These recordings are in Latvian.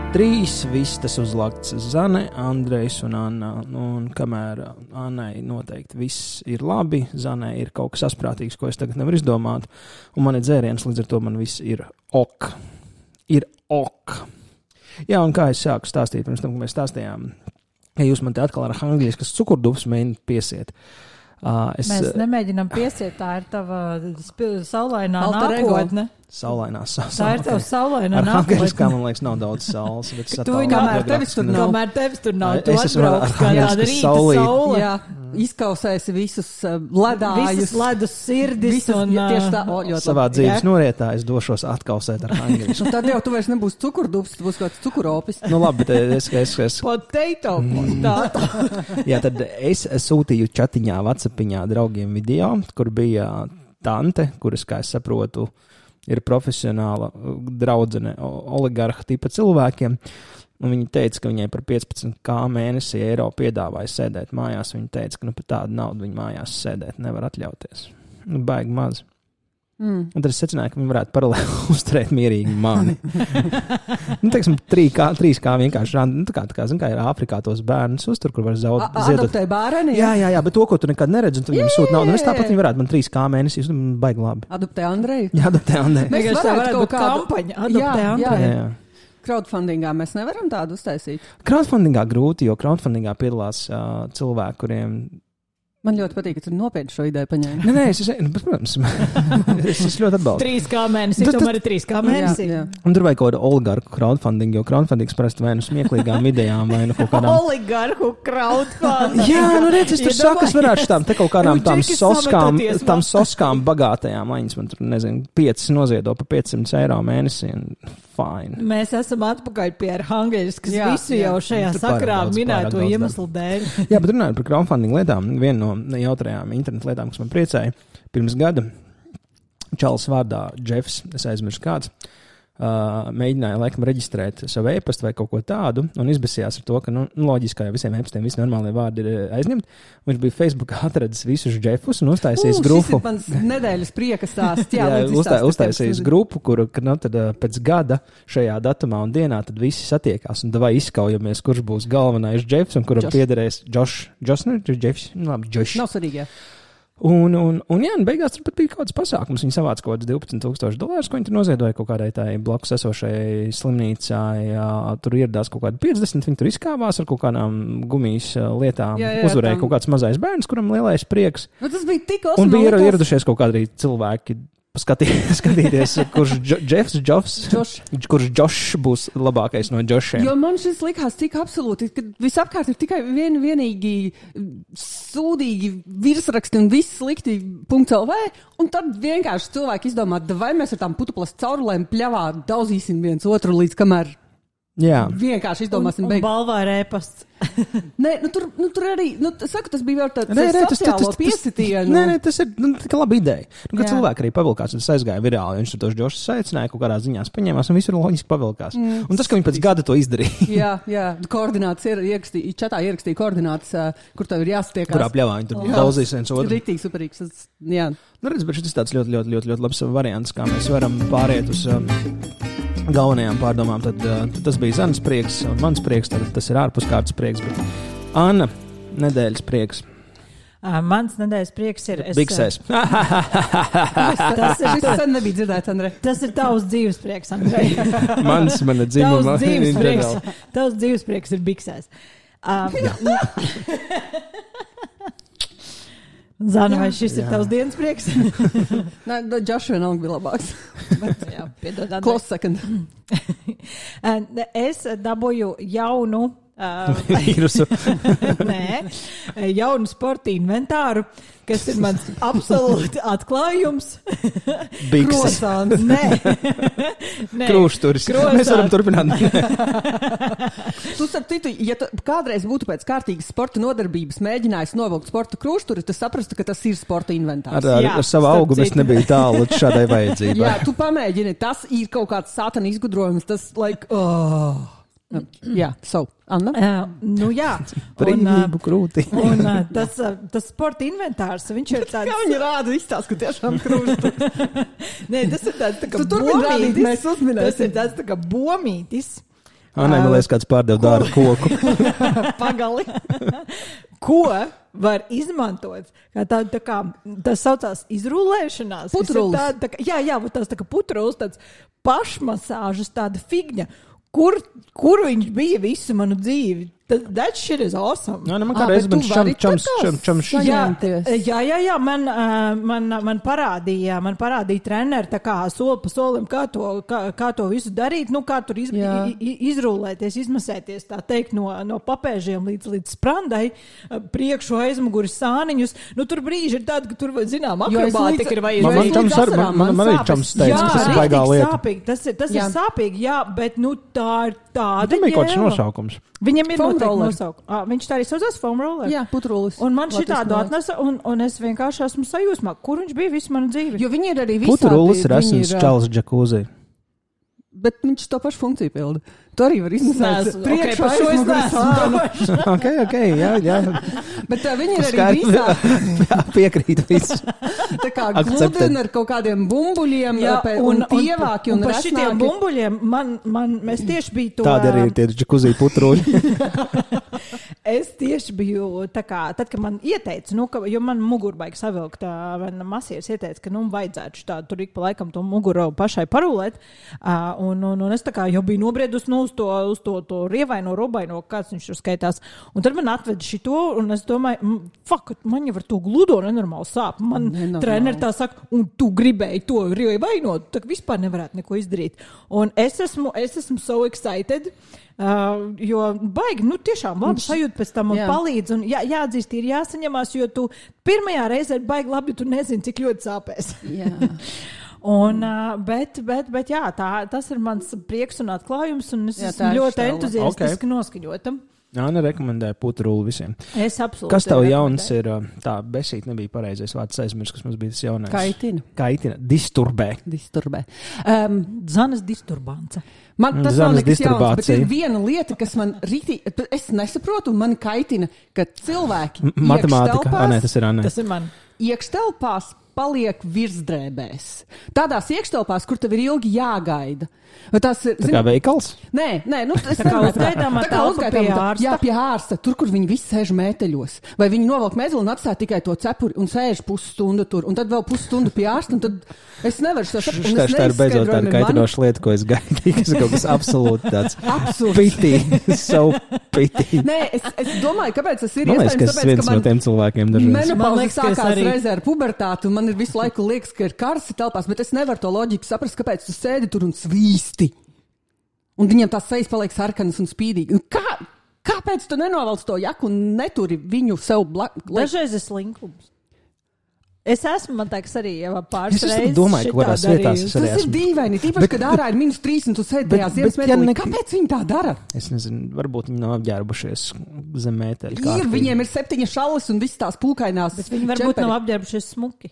3 vistas uzlakts Zane, Andrejs un Anna. Un kamēr Annai noteikti viss ir labi, Zanē ir kaut kas asprātīgs, ko es tagad nevaru izdomāt. Un man ir dzēriens, līdz ar to man viss ir ok. Ir ok. Jā, un kā es sāku stāstīt, pirms tam, ka mēs stāstījām, ja jūs man te atkal ar angļiskas cukurdufs mēģināt piesiet. Mēs nemēģinām piesiet, tā ir tava saulainā nākotne. Saulainās. Tā ir tava saulainā nākotne. Ar angļiskā, man liekas, nav daudz saules. Kamēr tevis tur nav, tu atbrauks kā tāda rīta saule. Jā, izkausēsi visus ledājus. Visas ledus sirdis. Un, tieši tā, savā dzīves norietā es došos atkausēt ar angļisku. Tad jau tu vairs nebūs cukurdubs, tu būs kāds cukuropis. Nu labi, bet es... Potato. Jā, tad es sūtīju chatiņā, WhatsAppiņā draugiem video, kur bija tante, kuras, kā es saprotu, ir profesionāla draudzene oligarha tipa cilvēkiem. Un viņa teica, ka viņai par 15k mēnesi eiro piedāvāja sēdēt mājās. Viņa teica, ka par tādu naudu viņa mājās sēdēt nevar atļauties. Baigi maz. Un tad es secināju, ka viņi varētu paralēli uzturēt mierīgi mani. Teiksim, 3K vienkārši, kā zin, kā ir Āfrikā tos bērnus uztur, kur var ziedot. Adoptē bērni? Jā, bet to, ko tu nekad neredzi, un tu viņam sūti naudu. Es tāpat viņi varētu man 3K mēnesī, baigi labi. Adoptē Andreju? Jā, adoptē Andreju. Mēs varētu kaut kādu kampaņu. Adoptē Andreju. Jā. Crowdfundingā mēs nevaram tādu uztaisīt? Crowdfundingā grūti, jo crowdfundingā piedalās cilvēki, kuriem... Man ļoti patīk, ka tu nopietni šo ideju paņēmi. Nē, protams, es ļoti atbalstu. 3K mēnesī, tomēr ir 3K mēnesī. Jā. Un tur vajag kaut kādu oligarku crowdfunding, jo crowdfundings parasti vai nu smieklīgām idejām, vai nu kaut kādām... Oligarku crowdfunding. Jā, nu redz, es tur saku, es varētu šitām te kaut kādām tām soskām bagātajām, lai viņas man tur, nezinu, 5 noziedo pa 500 eiro mēnesī. Fine. Mēs esam atpakaļ pie Arhangeļskas visu jau šajā sakrā minēto iemeslu dēļ. Jā, bet runājot par crowdfunding lietām, viena no jautrajām internetu lietām, kas man priecēja, pirms gada čalis vārdā Jeffs, es aizmirsu kāds, mēģināja laikam reģistrēt savu e-pastu vai kaut ko tādu un izbesījās ar to, ka, loģiski, ka visiem e-pastiem visi normālie vārdi ir aizņemti. Viņš bija Facebookā atradis visus Jeffus un uztaisījis grupu. Šis ir mans nedēļas prieka stāsts. Jā, uztaisījis grupu, kuru, tad pēc gada šajā datumā un dienā tad visi satiekās un davai izkaujamies, kurš būs galvenais Jeffs un kuram piederēs Josh, Jeffs, labi, Josh. Nav svarīgi, jā. Un jā, beigās tur pat bija kaut kāds pasākums. Viņi savāca kaut kāds $12,000, ko viņi tur noziedoja kaut kādai tai blakus esošai slimnīcai. Tur ieradās kaut kādi 50, viņi tur izkāvās ar kaut kādām gumijas lietām. Uzvarēja kaut kāds mazais bērns, kuram lielais prieks. Nu, tas bija tik un bija ieradušies kaut kādi cilvēki skatīties, kurš Josh būs labākais no Joshiem. Jo man šis likās tik absolūti, ka visapkārt ir tikai vienīgi sūdīgi virsraksti un viss slikti .lv, un tad vienkārši cilvēki izdomā, vai mēs ar tām putuplas caurulēm pļavā daudzīsim viens otru līdz kamēr vienkārši izdomāsim beigt. Un balvā ir e-pasts. Nē, tur arī, saku, tas bija vēl tāds sociālo piesitienu. Nē, tas ir tā laba ideja. Ka cilvēki arī pavilkās, un tas aizgāja virāli, viņš tos Džošus saicināja, kaut kādā ziņās paņēmās, un visur loģiski pavilkās. Un tas, ka viņi pēc gada to izdarīja. Jā, koordinātas čatā ierakstīja koordinātas, kur tev ir jāsatiekās. Kurā pļavā viņi tur daudzīs viens otru. Riktīgi superīgs, jā. Redz, bet šis tāds ļoti labs variants, kā mēs varam pāriet uz galvenajām pārdomām, tad tas bija Zanas prieks un mans prieks, tad tas ir ārpuskārtas prieks, bet Anna, nedēļas prieks. Mans nedēļas prieks ir... Biksēs. Tas sen nebija dzirdēts, Andrej. Tas ir tavs dzīves prieks, Andrej. Mana dzimuma. Tavs dzīves prieks ir biksēs. Zana, vai šis ir tavs dienas prieks? Nē, Josh vienalga bija labāks. Jā, piedod, Andrej. Close second. Es dabūju jaunu vīrusu. Nē, jaunu sporta inventāru, kas ir mans absolūti atklājums. Bikses. Krosāns. Nē. Krūšturis. Mēs varam turpināt. Tu starp citu, ja tu kādreiz būtu pēc kārtīgas sporta nodarbības mēģinājis novilkt sporta krūšturi, tu saprastu, ka tas ir sporta inventārs. Ar savu augumu es nebiju tālu līdz šādai vajadzībai. Jā, tu pamēģini, tas ir kaut kāds sātana izgudrojums, tas Jā, Anna? Jā. Brīvību krūti. Un tas sporta inventārs, viņš ir tāds... Kā viņi rāda izstāst, ka tiešām krūti. Nē, tas ir tāds tā kā tu turpin rādīt, mēs uzminēsim. Tas ir tāds tā kā bomītis. Man liekas, kāds pārdev dārgu koku. Pagali. Ko var izmantot? Tā kā tas saucās izrullēšanās. Putrulis. Jā, tas tā kā putrulis, tāds pašmasāžas tāda figņa. Kur viņš bija visu manu dzīvi? That shit is awesome. Man kādreiz čams. Jā, man parādīja treneri tā kā soli pa solim, kā to visu darīt, kā tur izrullēties, izmasēties, tā teikt, no papēžiem līdz sprandai, priekšu aizmuguri sāniņus. Tur brīži ir tādi, ka tur, zinām, akrobātika ir vajadzīga. Man arī čams teica, ka tas ir baigā lieta. Tas ir sāpīgi, jā, bet tā ir tāda. Viņam ir kaut kāds nosaukums. Viņam ir noteikti nosaukums. Viņš tā arī saucās foam roller. Jā, putrulis. Un man šitādu atnesa, un es vienkārši esmu sajūsmā, kur viņš bija visu manu dzīvi. Jo viņi ir arī visādi. Putrulis ir esams čals džakūzī. Bet viņš to pašu funkciju pilda. Tu arī var izmasēt. Priekšu aizmuguri. Ok, jā. Bet viņi ir arī visādi. Piekrīt visu. Tā kā gludina ar kaut kādiem bumbuļiem un tievāki un par šitiem bumbuļiem es tieši biju to... Tāda arī ir tie džakūzī putruļi. Es tieši biju tā kā, tad, kad man ieteica, jo man mugurbaigi savilkt, masieris ieteica, ka vajadzētu tādu tur ik pa laikam to muguru pašai parulēt, un es tā kā jau biju nobriedus uz to rievaino, robaino, kāds viņš tur skaitās, un tad man atveda šito, un es domāju, man jau ar to gludo nenormāli sāp, man treneri tā saka, un tu gribēji to rievainot, tā vispār nevarētu neko izdarīt, un es esmu so excited, jo baigi, tiešām labi sajūt pēc tam un palīdz, un jāatzīst, ir jāsaņemās, jo tu pirmajā reizē ir baigi labi, tu nezini, cik ļoti sāpēs. Jā. Un, bet jā, tas ir mans prieks un atklājums, un es esmu ļoti entuziastiski noskaņotam. Jāna rekomendēja putruli visiem. Es absolūti. Kas tev jauns ir, tā besīt nebija pareizais vārds aizmirst, kas mums bija tas jaunais. Kaitina. Disturbē. Zanes disturbance. Man tas nav nekas jauns, bet ir viena lieta, kas man es nesaprotu un mani kaitina, ka cilvēki matemātika. Tas ir Anē. Tas ir man. Iekštelpās paliek virsdrēbēs. Tādās iekštelpās, kur tev ir ilgi jāgaida. Tas ir, tā kā veikals? Nē, tā kā uzgaidāmā telpa pie ārsta. Jā, pie ārsta, tur, kur viņi visi sēž mēteļos. Vai viņi novelk mezli un atstāja tikai to cepuri un sēž pusstundu tur, un tad vēl pusstundu pie ārsta, un tad es nevaru šo saprastu. Tā ir beidzot tāda kaitinoša lieta, ko es gaidīju, kas ir kaut kas absolūti tāds pity, so pity. Nē, es domāju, kāpēc tas ir iespējams, tāpēc, ka man viens no tiem cilvēkiem dažreiz. Menopauze sākās reizē ar pubertātu, un man ir visu laiku liekas, ka ir karsti telpās, bet es nevaru to loģiku saprast, kāpēc tu sēdi tur un svīsti. Un viņam tās sejas paliek sarkanas un spīdīgi. Kāpēc tu nenovelc to jaku un neturi viņu sev blakus? Dažreiz ir slinkums. Es esmu, man liekas, arī pāris reizes. Es domāju, ka kādās vietās es arī esmu. Tas ir dīvaini, tīpaši, kad ārā ir -3 un tu sēdi tajā ziemas mētelī. Kāpēc viņi tā dara? Es nezinu, varbūt viņi nav apģērbušies zem mēteļa. Viņiem ir 7 šalles un visas tās pūkainās. Bet viņi varbūt nav apģērbušies smuki.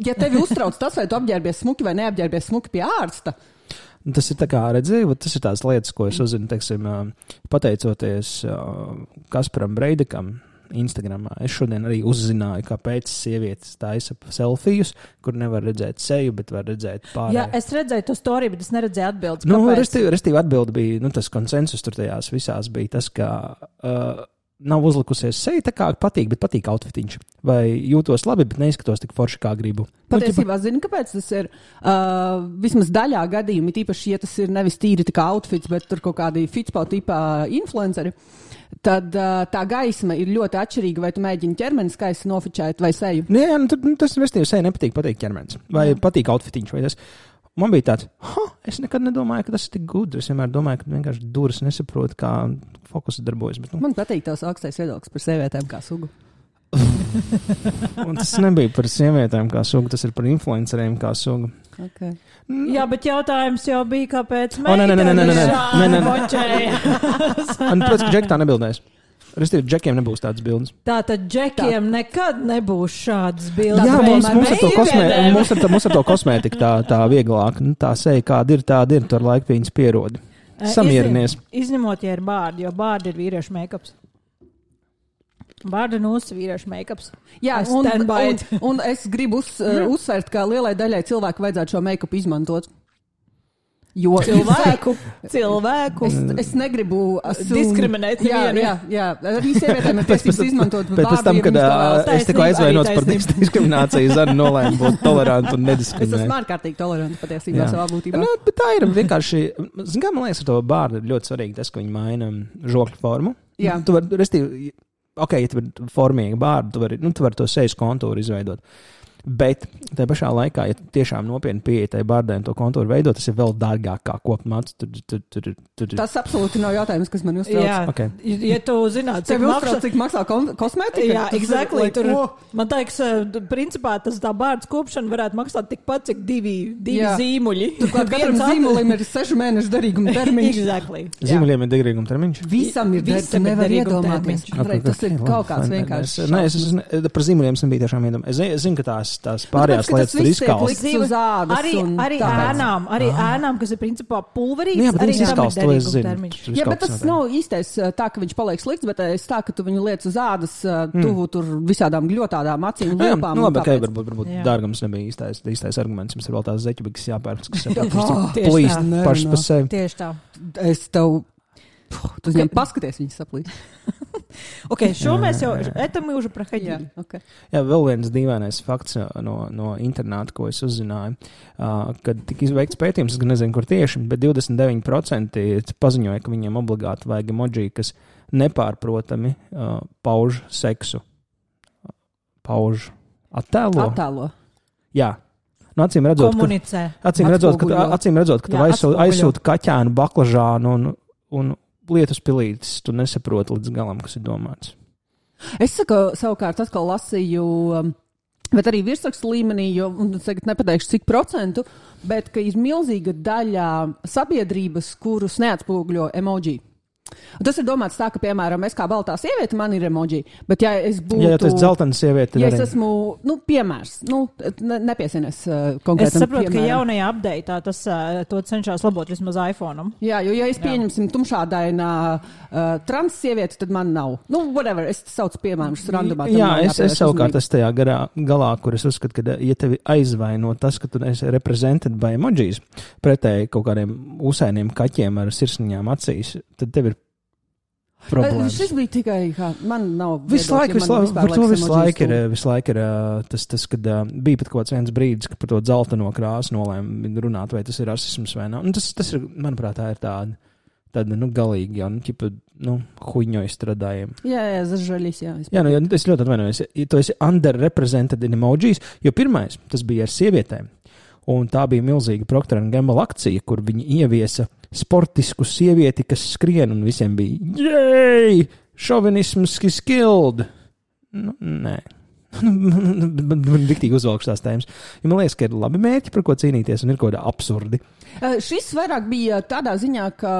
Ja tevi uztrauc tas, vai tu apģērbies smuki vai neapģērbies smuki pie ārsta, tas ir tā kā redzēju, tas ir tās lietas, ko es uzzinu, teiksim, pateicoties Kasparam Breidekam Instagramā. Es šodien arī uzzināju, kāpēc sievietes taisa selfijus, kur nevar redzēt seju, bet var redzēt pārējo. Jā, es redzēju to storiju, bet es neredzēju atbildes. Restīvi atbildi bija, tas konsensus tur tajās visās bija tas, ka nav uzlikusies seja tā kā patīk, bet patīk outfitiņš. Vai jūtos labi, bet neizskatos tik forši, kā gribu. Patiesībā zinu, kāpēc tas ir. Vismaz daļā gadījumi, tīpaši, ja tas ir nevis tīri tā kā outfits, bet tur kaut kādi fitspo tipā influenceri, tad tā gaisma ir ļoti atšķirīga, vai tu mēģini ķermeni skaisti nofičēt vai seju. Jā, tas restīvi seja nepatīk, patīk ķermenis. Vai patīk outfitiņš, vai tas. Man bija tāds, es nekad nedomāju, ka tas ir tik gudrs. Es vienmēr domāju, ka vienkārši duras nesaprotu, kā fokusi darbojas. Bet, Man patīk tavs augstais viedoklis par sievietēm kā sugu. Un tas nebija par sievietēm kā sugu, tas ir par influenceriem kā sugu. Okay. Jā, bet jautājums jau bija, kāpēc Nē. Protams, ka Džek tā nebildēs. Restīvi, Džekiem nebūs tādas bildes. Tātad Džekiem nekad nebūs šādas bildes. Jā, mums ar to kosmētiku tā vieglāk. Tā seja, kāda ir, tāda ir. Tu ar laiku viņas pierodi. Samierinies. Izņemot, ja ir bārdi, jo bārdi ir vīriešu make-ups. Bārda nūsa vīriešu make-ups. Jā, un es gribu uzsvērt, ka lielai daļai cilvēku vajadzētu šo make-up izmantot. Jo Cilvēku. Es negribu diskriminēt nevienu. Jā. Arī sievietēm ir tiesības izmantot Bet pēc tam, kad es tikko aizvainots par taisnība. diskrimināciju, Zana nolēma būt tolerantu un Es nediskriminēt. esmu ārkārtīgi toleranta patiesībā Jā. savā būtībā. Nu, bet tā ir vienkārši, zin kā, man liekas, ar to bārdu ir ļoti svarīgi tas, ka viņi maina žokļu formu. Jā. Tu vari, restīvi, ok, ja tev ir formīga bārda, tu vari to sejas kontūru izveidot. Bet tajā pašā laikā, ja tiešām nopietni pieeja tai bārdai un to kontūru veidot, tas ir vēl dārgāk kā kopmats. Tas absolūti nav jautājums, kas man uztrauc. Jā, Okay. Ja tu zinātu, Tev uztrauc, cik maksā kosmētika? Jā, exactly. Tur, Ko? man liekas, principā tas tā bārdas kopšana varētu maksāt tikpat, cik divi Jā. zīmuļi. Turklāt katram zīmulim ir 6 mēnešu derīguma termiņš. Exactly. Zīmuliem ir derīguma termiņš. Visam ir Visam derīguma, ir nevar derīguma iedomāties. termiņš. Andrej, tas ir kaut kāds vienkārši. Nē, es par zīmuliem esmu bija tiešām iedomājies. Es zinu, ka tās pārējās tāpēc, ka lietas tas tur viss tiek izkals. likts uz ādas Arī un tāpēc. ēnām, kas ir principā pulverīts, Jā, bet arī viņas tam izkals, ir to es derīguma zinu. termiņš. Tur Jā, kaut bet kas tas notiek. nav īstais tā, ka viņš paliek slikts, bet es tā, ka tu viņu liec uz ādas tuvu tur visādām gļotādām acīm un Jā, lūpām. nu un labi, okay, tāpēc. varbūt Jā. dārgums nebija īstais arguments. Mums ir vēl tās zeķubikas jāpērk, kas Tieši plīst tā. pašas pa sevi. Tieši tā. Es tev... Tu viņam paskaties, viņas saplīt. Ok, šo mēs jau etam уже проходили. Okay. Jā, vēl viens dīvainais fakts no interneta, ko es uzzināju, kad tika izveikts pētījums, es gan nezinu, kur tieši, bet 29% paziņoja, ka viņiem obligāti vajag emoji, kas nepārprotami pauž seksu. Pauž attēlo. Attēlo. Jā. Nu, acīm redzot, Komunicē. acīm redzot, ka tu Jā, atspoguļo. aizsūti kaķēnu, baklažānu un lietus pilītes, tu nesaproti līdz galam, kas ir domāts. Es savukārt atkal lasīju, bet arī virsrakstu līmenī, jo tagad nepateikšu cik procentu, bet ka ir milzīga daļa sabiedrības, kurus neatspūgļo emoji. Un tas ir domāts tā, ka, piemēram, es kā baltā sieviete, man ir emoji, bet ja es būtu... Ja tu esi dzeltena sieviete, Ja tad es arī... esmu, piemērs, nepiesienies Es konkrētam saprotu, ka piemēram. jaunajā update'ā tas to cenšas labot vismaz iPhone'am. Jā, jo ja es pieņemsim tumšādainā trans sievieti, tad man nav. Nu, whatever, es saucu piemērus randomā. tam Jā, nav es jāpievērš savukārt uzmanība. esmu tajā galā, kur es uzskatu, ka, ja tevi aizvaino tas, ka tu esi reprezented by emojis, pretēji kaut kādiem usainiem kaķiem ar sirsniņām acīs, tad tev ir problēmas. Šis bija tikai, kā man nav Visu laiku, par to visu laiku ir tas, kad bija pat kaut kāds viens brīdis, ka par to dzelteno krāsu nolēma runāt, vai tas ir rasisms vai nav. Tas ir, manuprāt, tā ir tāda, galīgi, jau, huņo izstrādājiem. Jā, zažaļīs, jā. Jā, ja es ļoti atvainojos, ja tu esi underrepresented in emojis, jo pirmais, tas bija ar sievietēm, un tā bija milzīga Procter & Gamble akcija, kur viņi ieviesa sportisku sievieti, kas skrien, un visiem bija, jēj, šovinisms is killed. Nu, nē. Riktīgi uzvalkšu tās tēmas. Ja man liekas, ka ir labi mērķi, par ko cīnīties, un ir kaut kāda absurdi. Šis vairāk bija tādā ziņā, ka,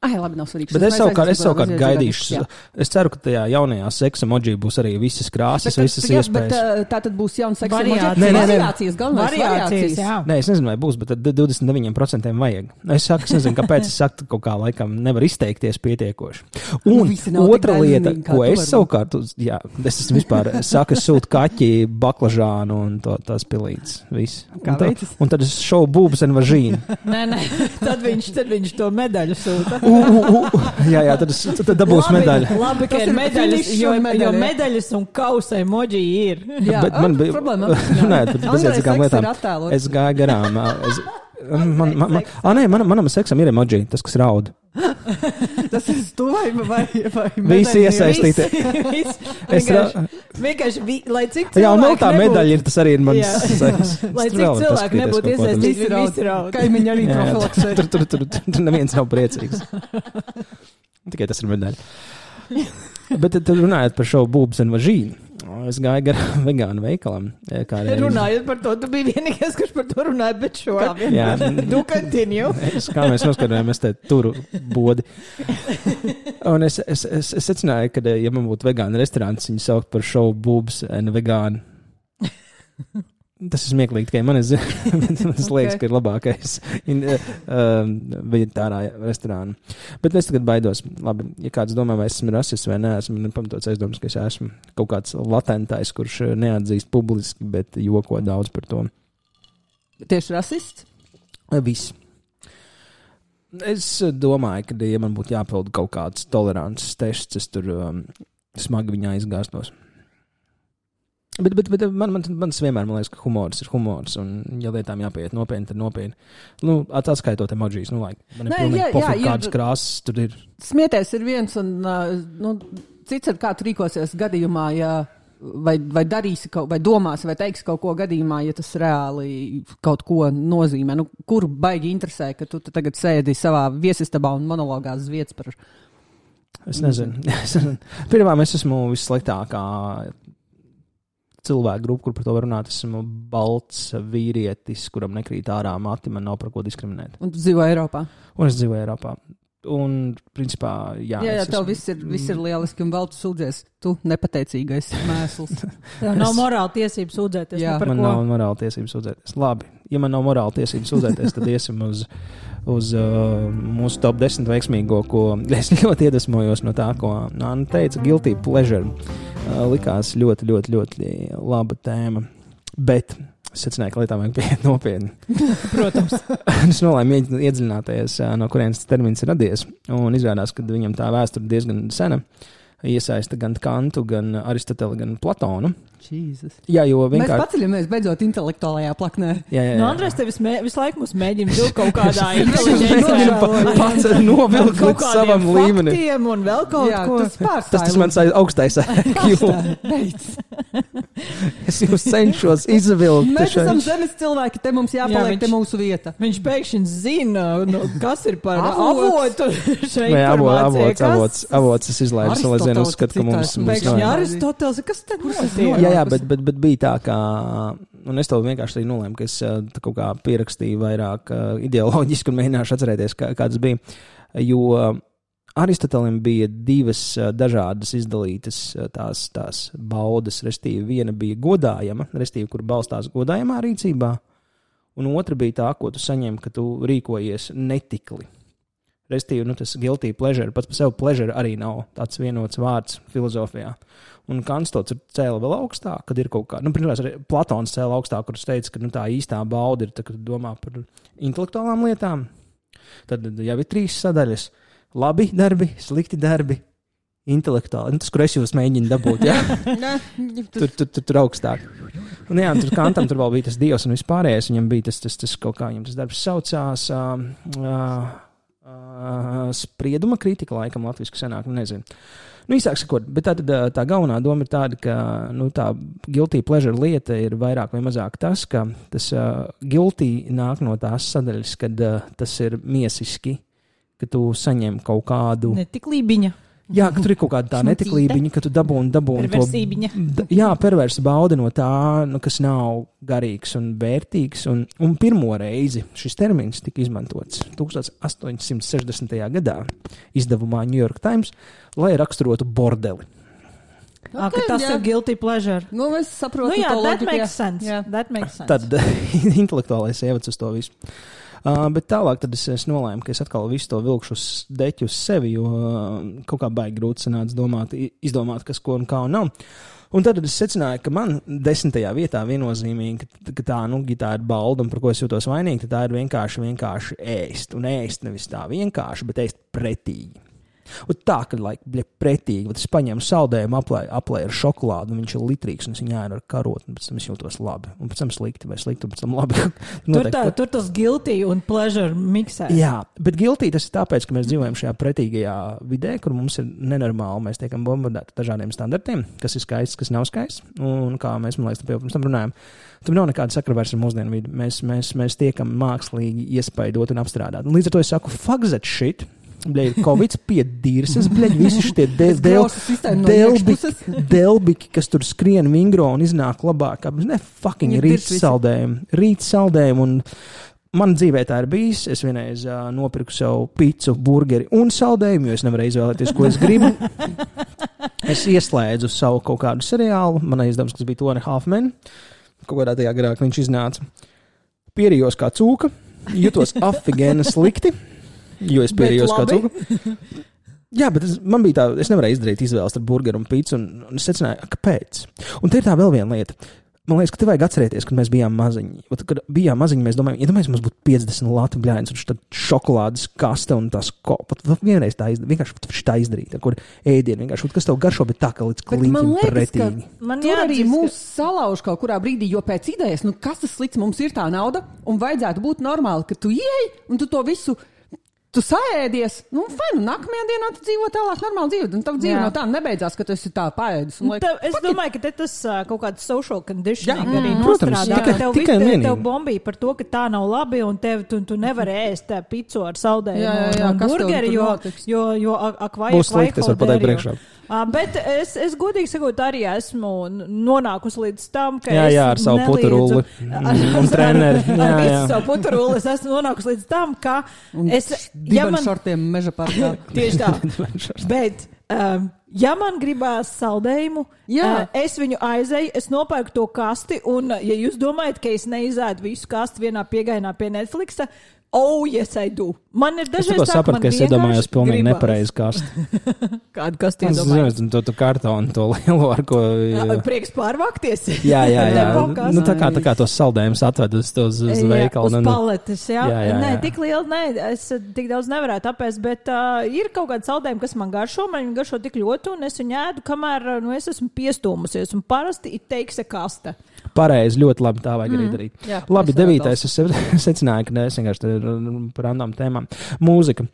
labi, nav svarīgi. Bet es savukārt gaidīšu. Es ceru, ka tajā jaunajā seksa emoji būs arī visas krāsas, visas iespējas. Bet tā tad būs jauns seksa emoji. Variācijas. Variācijas, galvenais Variācijas, jā. Nē, es nezinu, vai būs, bet tad 29% vajag. Es nezinu, kāpēc es saku, kaut kā laikam nevar izteikties pietiekoši. Un otra lieta, ko es savukārt, es esmu vispār saku, es sūtu kaķi, baklažānu un tās pilītes. Viss. Un tad es šovu būbas un važīnu. Nē, tad viņš to medaļu sūta. Jā, tad dabūs medaļa. Labi, ka Tas ir ir medaļas, finišs jo un medaļa. medaļas un kausa emoji ir. Jā, Bet man bija problēma. Nē, tad bezjēdzīgām lietām. Es gāju garām. Manam seksam ir emoji, tas, kas raud. Tas ir tu vai Visi iesaistīti. Vienkārši, lai cik Jā, un vēl tā nebūtu- medaļa ir, tas arī ir mans Jā. seks. Lai cik cilvēki nebūtu iesaistīti, visi raud. Kaimiņi arī profilaksē. Tur neviens nav priecīgs. Tikai tas ir medaļa. Bet tad runājot par šo būbas un važīnu, es gāju garām vegānu veikalam. Runājot par to, tu biji vienīgais, kurš par to runāja, bet šo. Jā, Tu continue. kā mēs noskatījāmies te turu bodi. Un es secināju, ka, ja man būtu vegāna restorāns, viņu saukt par šovu būbas un vegānu. Tas ir smieklīgi, tikai man liekas, ka ir labākais veģetārā restorāna. Bet es tagad baidos. Labi, ja kāds domā, vai esmu rasists vai neesmu, man pamatots aizdomas, ka es esmu kaut kāds latentais, kurš neatzīst publiski, bet joko daudz par to. Tieši rasists? Viss. Es domāju, ka, ja man būtu jāpild kaut kāds tolerances tests, es tur smagi viņā izgāstos. Bet man vienmēr, man liekas, ka humors ir humors, un ja lietām jāpieiet nopietni, tad nopietni. Nu, atskaitot emojis, man ir pilnīgi pofīgi, kādas krāsas tur ir. Smieties ir viens, un cits ir, kā tu rīkosies gadījumā, ja vai darīsi, vai domāsi, vai teiksi kaut ko gadījumā, ja tas reāli kaut ko nozīmē. Nu, kur baigi interesē, ka tu tagad sēdi savā viesistabā un monologās uz vietas par... Es nezinu. Pirmā, es esmu vissliktākā cilvēku grupu, kur par to var runāt. Esmu balts vīrietis, kuram nekrīt ārā mati, man nav par ko diskriminēt. Un tu dzīvo Eiropā? Un es dzīvoju Eiropā. Un, principā, jā. Jā, tev viss ir lieliski, un vēl tu sūdzies. Tu nepateicīgais mēsls. Tev nav morāla tiesība sūdzēties. Jā, man nav morāla tiesība sūdzēties. Labi, ja man nav morāla tiesība sūdzēties, tad iesim uz mūsu top 10 veiksmīgo, ko es ļoti iedvesmojos no tā, ko Anna teica, guilty pleasure. Likās ļoti, ļoti, ļoti laba tēma, bet es secināju, ka lietām vajag pieiet nopietni. Protams. Es nolēmu iedziļināties, no kurienes termins ir radies, un izrādās, ka viņam tā vēsture diezgan sena. Iesaista gan Kantu, gan Aristoteli, gan Platonu. Jesus. Jā, jo vienkārši... Mēs paceļamies beidzot intelektuālajā plaknē. Jā. No Andrēs tevis visu laiku mums mēģina vilkt kaut kādā inteliģencē. Pats novilkt līdz savam līmenim. Faktiem un vēl kaut ko. Tas mans augstais IQ. Es jūs cenšos izvilkt. Mēs esam zemes cilvēki, te mums jāpaliek, te mūsu vieta. Viņš pēkšņi zina, kas ir par avotu šeit informācija. Avots es izlaidu, lai zinu, uzskatu, ka mums... Pēkšņi Aristoteles, kas tad notiek? Jā, bet bija tā, ka, un es to vienkārši arī nolēmu, ka es kaut kā pierakstīju vairāk ideoloģiski un mēģināšu atcerēties, kā tas bija, jo Aristotelim bija divas dažādas izdalītas tās baudas, restīvi viena bija godājama, restīvi, kur balstās godājamā rīcībā, un otra bija tā, ko tu saņem, ka tu rīkojies netikli. Restīvi, tas guilty pleasure, pats par sevi pleasure arī nav tāds vienots vārds filozofijā. Un Kants to cēla vēl augstāk, kad ir kaut kā, pirmās arī Platons cēla augstāk, kurš teica, ka tā īstā bauda ir, tā, kad domā par intelektuālām lietām. Tad jau ir 3 sadaļas. Labi darbi, slikti darbi, intelektuāli. Tas, kur es jūs mēģinu dabūt, jā? tur augstāk. Un jā, tur Kantam tur vēl bija tas dievs un vispārējais. Viņam bija tas kaut kā, viņam tas darbs saucās sprieduma kritika, laikam latviski sanāk, nezinu. Īsāk sakot, bet tā galvenā doma ir tāda, ka tā guilty pleasure lieta ir vairāk vai mazāk tas, ka tas guilty nāk no tās sadaļas, kad tas ir miesiski, ka tu saņem kaut kādu... Netiklībiņa. Jā, ka tur ir kaut kāda tā netiklībiņa, ka tu dabūni perversībiņa. Perversa bauda no tā, kas nav garīgs un vērtīgs. Un pirmo reizi šis termins tika izmantots 1860. gadā izdevumā New York Times, lai raksturotu bordeli. Okay, tas ir guilty pleasure. Es saprotu, that makes sense. Yeah. That makes sense. Tad intelektuālais ievads uz to visu. Bet tālāk tad es nolēmu, ka es atkal visu to vilkšu uz deķu uz sevi, jo kaut kā baigi grūti sanāca izdomāt, kas ko un kā un nav. Un tad es secināju, ka man 10. vietā viennozīmīgi, ka tā, ja tā ir balda un par ko es jūtos vainīgi, tad tā ir vienkārši ēst. Un ēst nevis tā vienkārši, bet ēst pretīgi. Un tā, ka, pretīgi, bet es paņēmu saldējumu, aplēju ar šokolādu, un viņš ir litrīgs, un es viņu ēdu ar karotu, un pēc tam es jūtos labi. Un pēc tam slikti, un pēc tam labi. Tur tas guilty un pleasure miksē. Jā, bet guilty tas ir tāpēc, ka mēs dzīvojam šajā pretīgajā vidē, kur mums ir nenormāli, mēs tiekam bombardēti dažādiem standartiem, kas ir skaists, kas nav skaists, un kā mēs, man liekas, pirms tam runājam, tur nav nekāda sakra vairs ar mūsdienu vidi. Mēs tiekam mākslīgi iespaidot un apstrādāt. Un līdz ar to es saku, fuck that shit. Bļaļ, Covid piedīrses, visi šitie delbiki, kas tur skrien vingro un iznāk labāk. Ne, fucking rīt saldējumi. Un man dzīvē tā ir bijis. Es vienreiz nopirku savu picu, burgeri un saldējumu, jo es nevarēju izvēlēties, ko es gribu. Es ieslēdzu savu kaut kādu seriālu. Man aizdevums, kas bija 2.5 Men. Kaut kādā tajā garā, ka viņš iznāca. Pierījos kā cūka. Jutos afigēna slikti. Jo es pierījos kā cūka. Jā, bet man bija tā, es nevarēju izdarīt izvēles ar burgeru un pīcu, un es secināju, kāpēc. Un te ir tā vēl viena lieta. Man liekas, ka te vajag atcerēties, kad mēs bijām maziņi. Kad bijām maziņi, mēs domājam, iedomājies, mums būtu 50 lati bļāņas, un tad šokolādes kaste un tās vienreiz tā izdarīt, kur ēdienu vienkārši, kas tev garšo, bet tā, ka līdz kliņķim pretīgi. Tur arī mūs salauž kaut kurā brīdī, jo pēc idejas, kas tas slikts, mums ir tā nauda, un vajadzētu būt normāli, ka tu ieej, un tu to visu tu saēdies, nākamajā dienā tu dzīvo tālāk normāli dzīvi, un tavu dzīve no tā nebeidzās, ka tu esi tā paēdis. Es domāju, ka tas kaut kāds social conditioning arī protams, nostrādā. Tev bombīja par to, ka tā nav labi, un tu nevari ēst picu ar saldējumu un burgeri, jo akvai būs slikti, es varu pateikt priekšā. Bet es godīgi sakot, arī esmu nonākusi līdz tam, ka ar savu puturuli un treneri. Ar visu savu puturuli es esmu nonākusi līdz tam, ka dibenšortiem meža parkā. Tieši tā. Bet, ja man gribās saldējumu, es viņu aizeju, es nopērku to kasti, un ja jūs domājat, ka es neizēdu visu kasti vienā piegainā pie Netflixa, yes, I do. Man ir dažreiz tā, sapratu, ka es iedomājos pilnīgi nepareizi kasti. Kādu kasti iedomājos? To kartonu, to lielo, ar ko... Prieks pārvākties. Jā. Tā kā tos saldējumus atved uz veikalu. Uz paletes, jā. Nē, tik liela, es tik daudz nevarētu apēst, bet ir kaut kādi saldējumi, kas man garšo, man viņi garšo tik ļoti, un es viņu ēdu, kamēr es esmu piestūmusies, un parasti it teiks kasta. Pareizi, ļoti labi, tā vajag arī darīt. Jā, labi, 9. es secināju, ka es vienkārši par randām tēmām. Mūzika.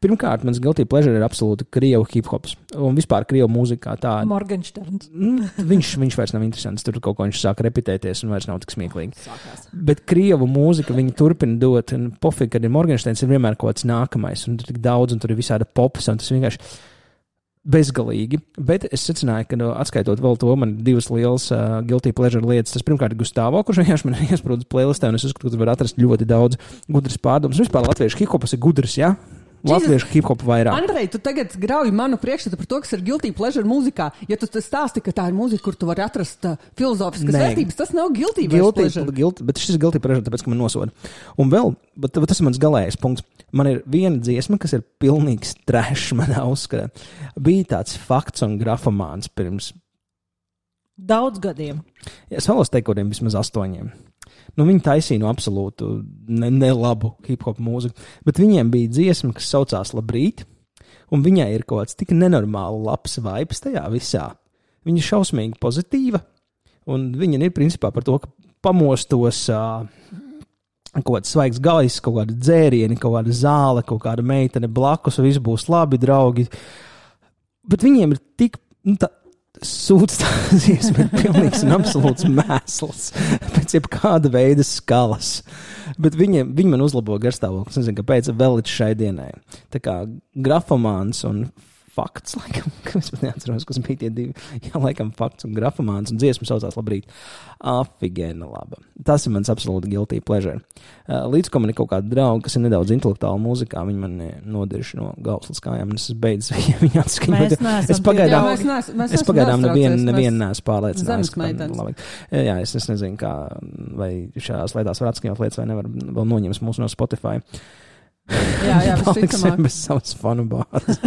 Pirmkārt, mans guilty pleasure ir absolūti krievu hip-hops. Un vispār krievu mūzika kā tāda. Morgensterns. Viņš vairs nav interesants. Tur kaut ko viņš sāk repetēties un vairs nav tik smieklīgi. Sākās. Bet krievu mūzika viņi turpina dot. Un pofīgi, kad ir Morgensterns, ir vienmēr kaut kāds nākamais. Un tur tik daudz, un tur ir visāda pops, un tas vienkārši bezgalīgi. Bet es secināju, ka atskaitot vēl to, man ir divas lielas guilty pleasure lietas. Tas pirmkārt ir Gustavo, kurš vienkārši man ir iesprūdis playlistē, un es uzskatu, ka tu vari atrast ļoti daudz gudras pārdomas. Vispār latviešu hip-hops ir gudrs, jā? Latviešu hip-hop vairāk. Andrej, tu tagad grauji manu priekšstatu par to, kas ir guilty pleasure mūzikā. Ja tu stāsti, ka tā ir mūzika, kur tu vari atrast filozofiskas vērtības, tas nav guilty pleasure. Bet šis ir guilty pleasure, tāpēc, ka man nosoda. Un vēl, bet tas ir mans galējais punkts. Man ir viena dziesma, kas ir pilnīgs trash manā uzskatā. Bija tāds fakts un grafomāns pirms daudz gadiem. Es vēlos teikt, kodiem vismaz 8. Viņi taisīja no absolūtu nelabu hip-hop mūziku, bet viņiem bija dziesma, kas saucās Labrīt, un viņai ir kaut kāds tik nenormāli labs vibes tajā visā. Viņa ir šausmīgi pozitīva, un viņa ir principā par to, ka pamostos kaut kāds svaigs gaiss, kaut kāda dzērieni, kaut kāda zāle, kaut kāda meitene blakus, viss būs labi, draugi. Bet viņiem ir tik... Sūds tās dziesma ir pilnīgs un absolūts mēsls pēc jebkāda veida skalas. Bet viņi man uzlabo garstāvokli. Es nezinu, kāpēc vēl līdz šai dienai. Tā kā grafomāns un fakts, laikam, es pat neatceros, kas bija tie divi. Jā, laikam fakts un grafomāns un dziesma saucās Labrīt. Afigēna laba. Tas ir mans absolūti guilty pleasure. Līdz ko man ir kaut kāda drauga, kas ir nedaudz intelektuāla mūzikā, viņi man nodirši no galvas līdz kājām, un es beidz viņu atskaņot. Es pagaidām nevienu neesmu pārliecinājis. Jā, es nezinu, kā, vai šajās lietās var atskaņot lietas, vai nevar vēl noņems mūsu no Spotify. Jā, paliksim bez savas fanu bāzes.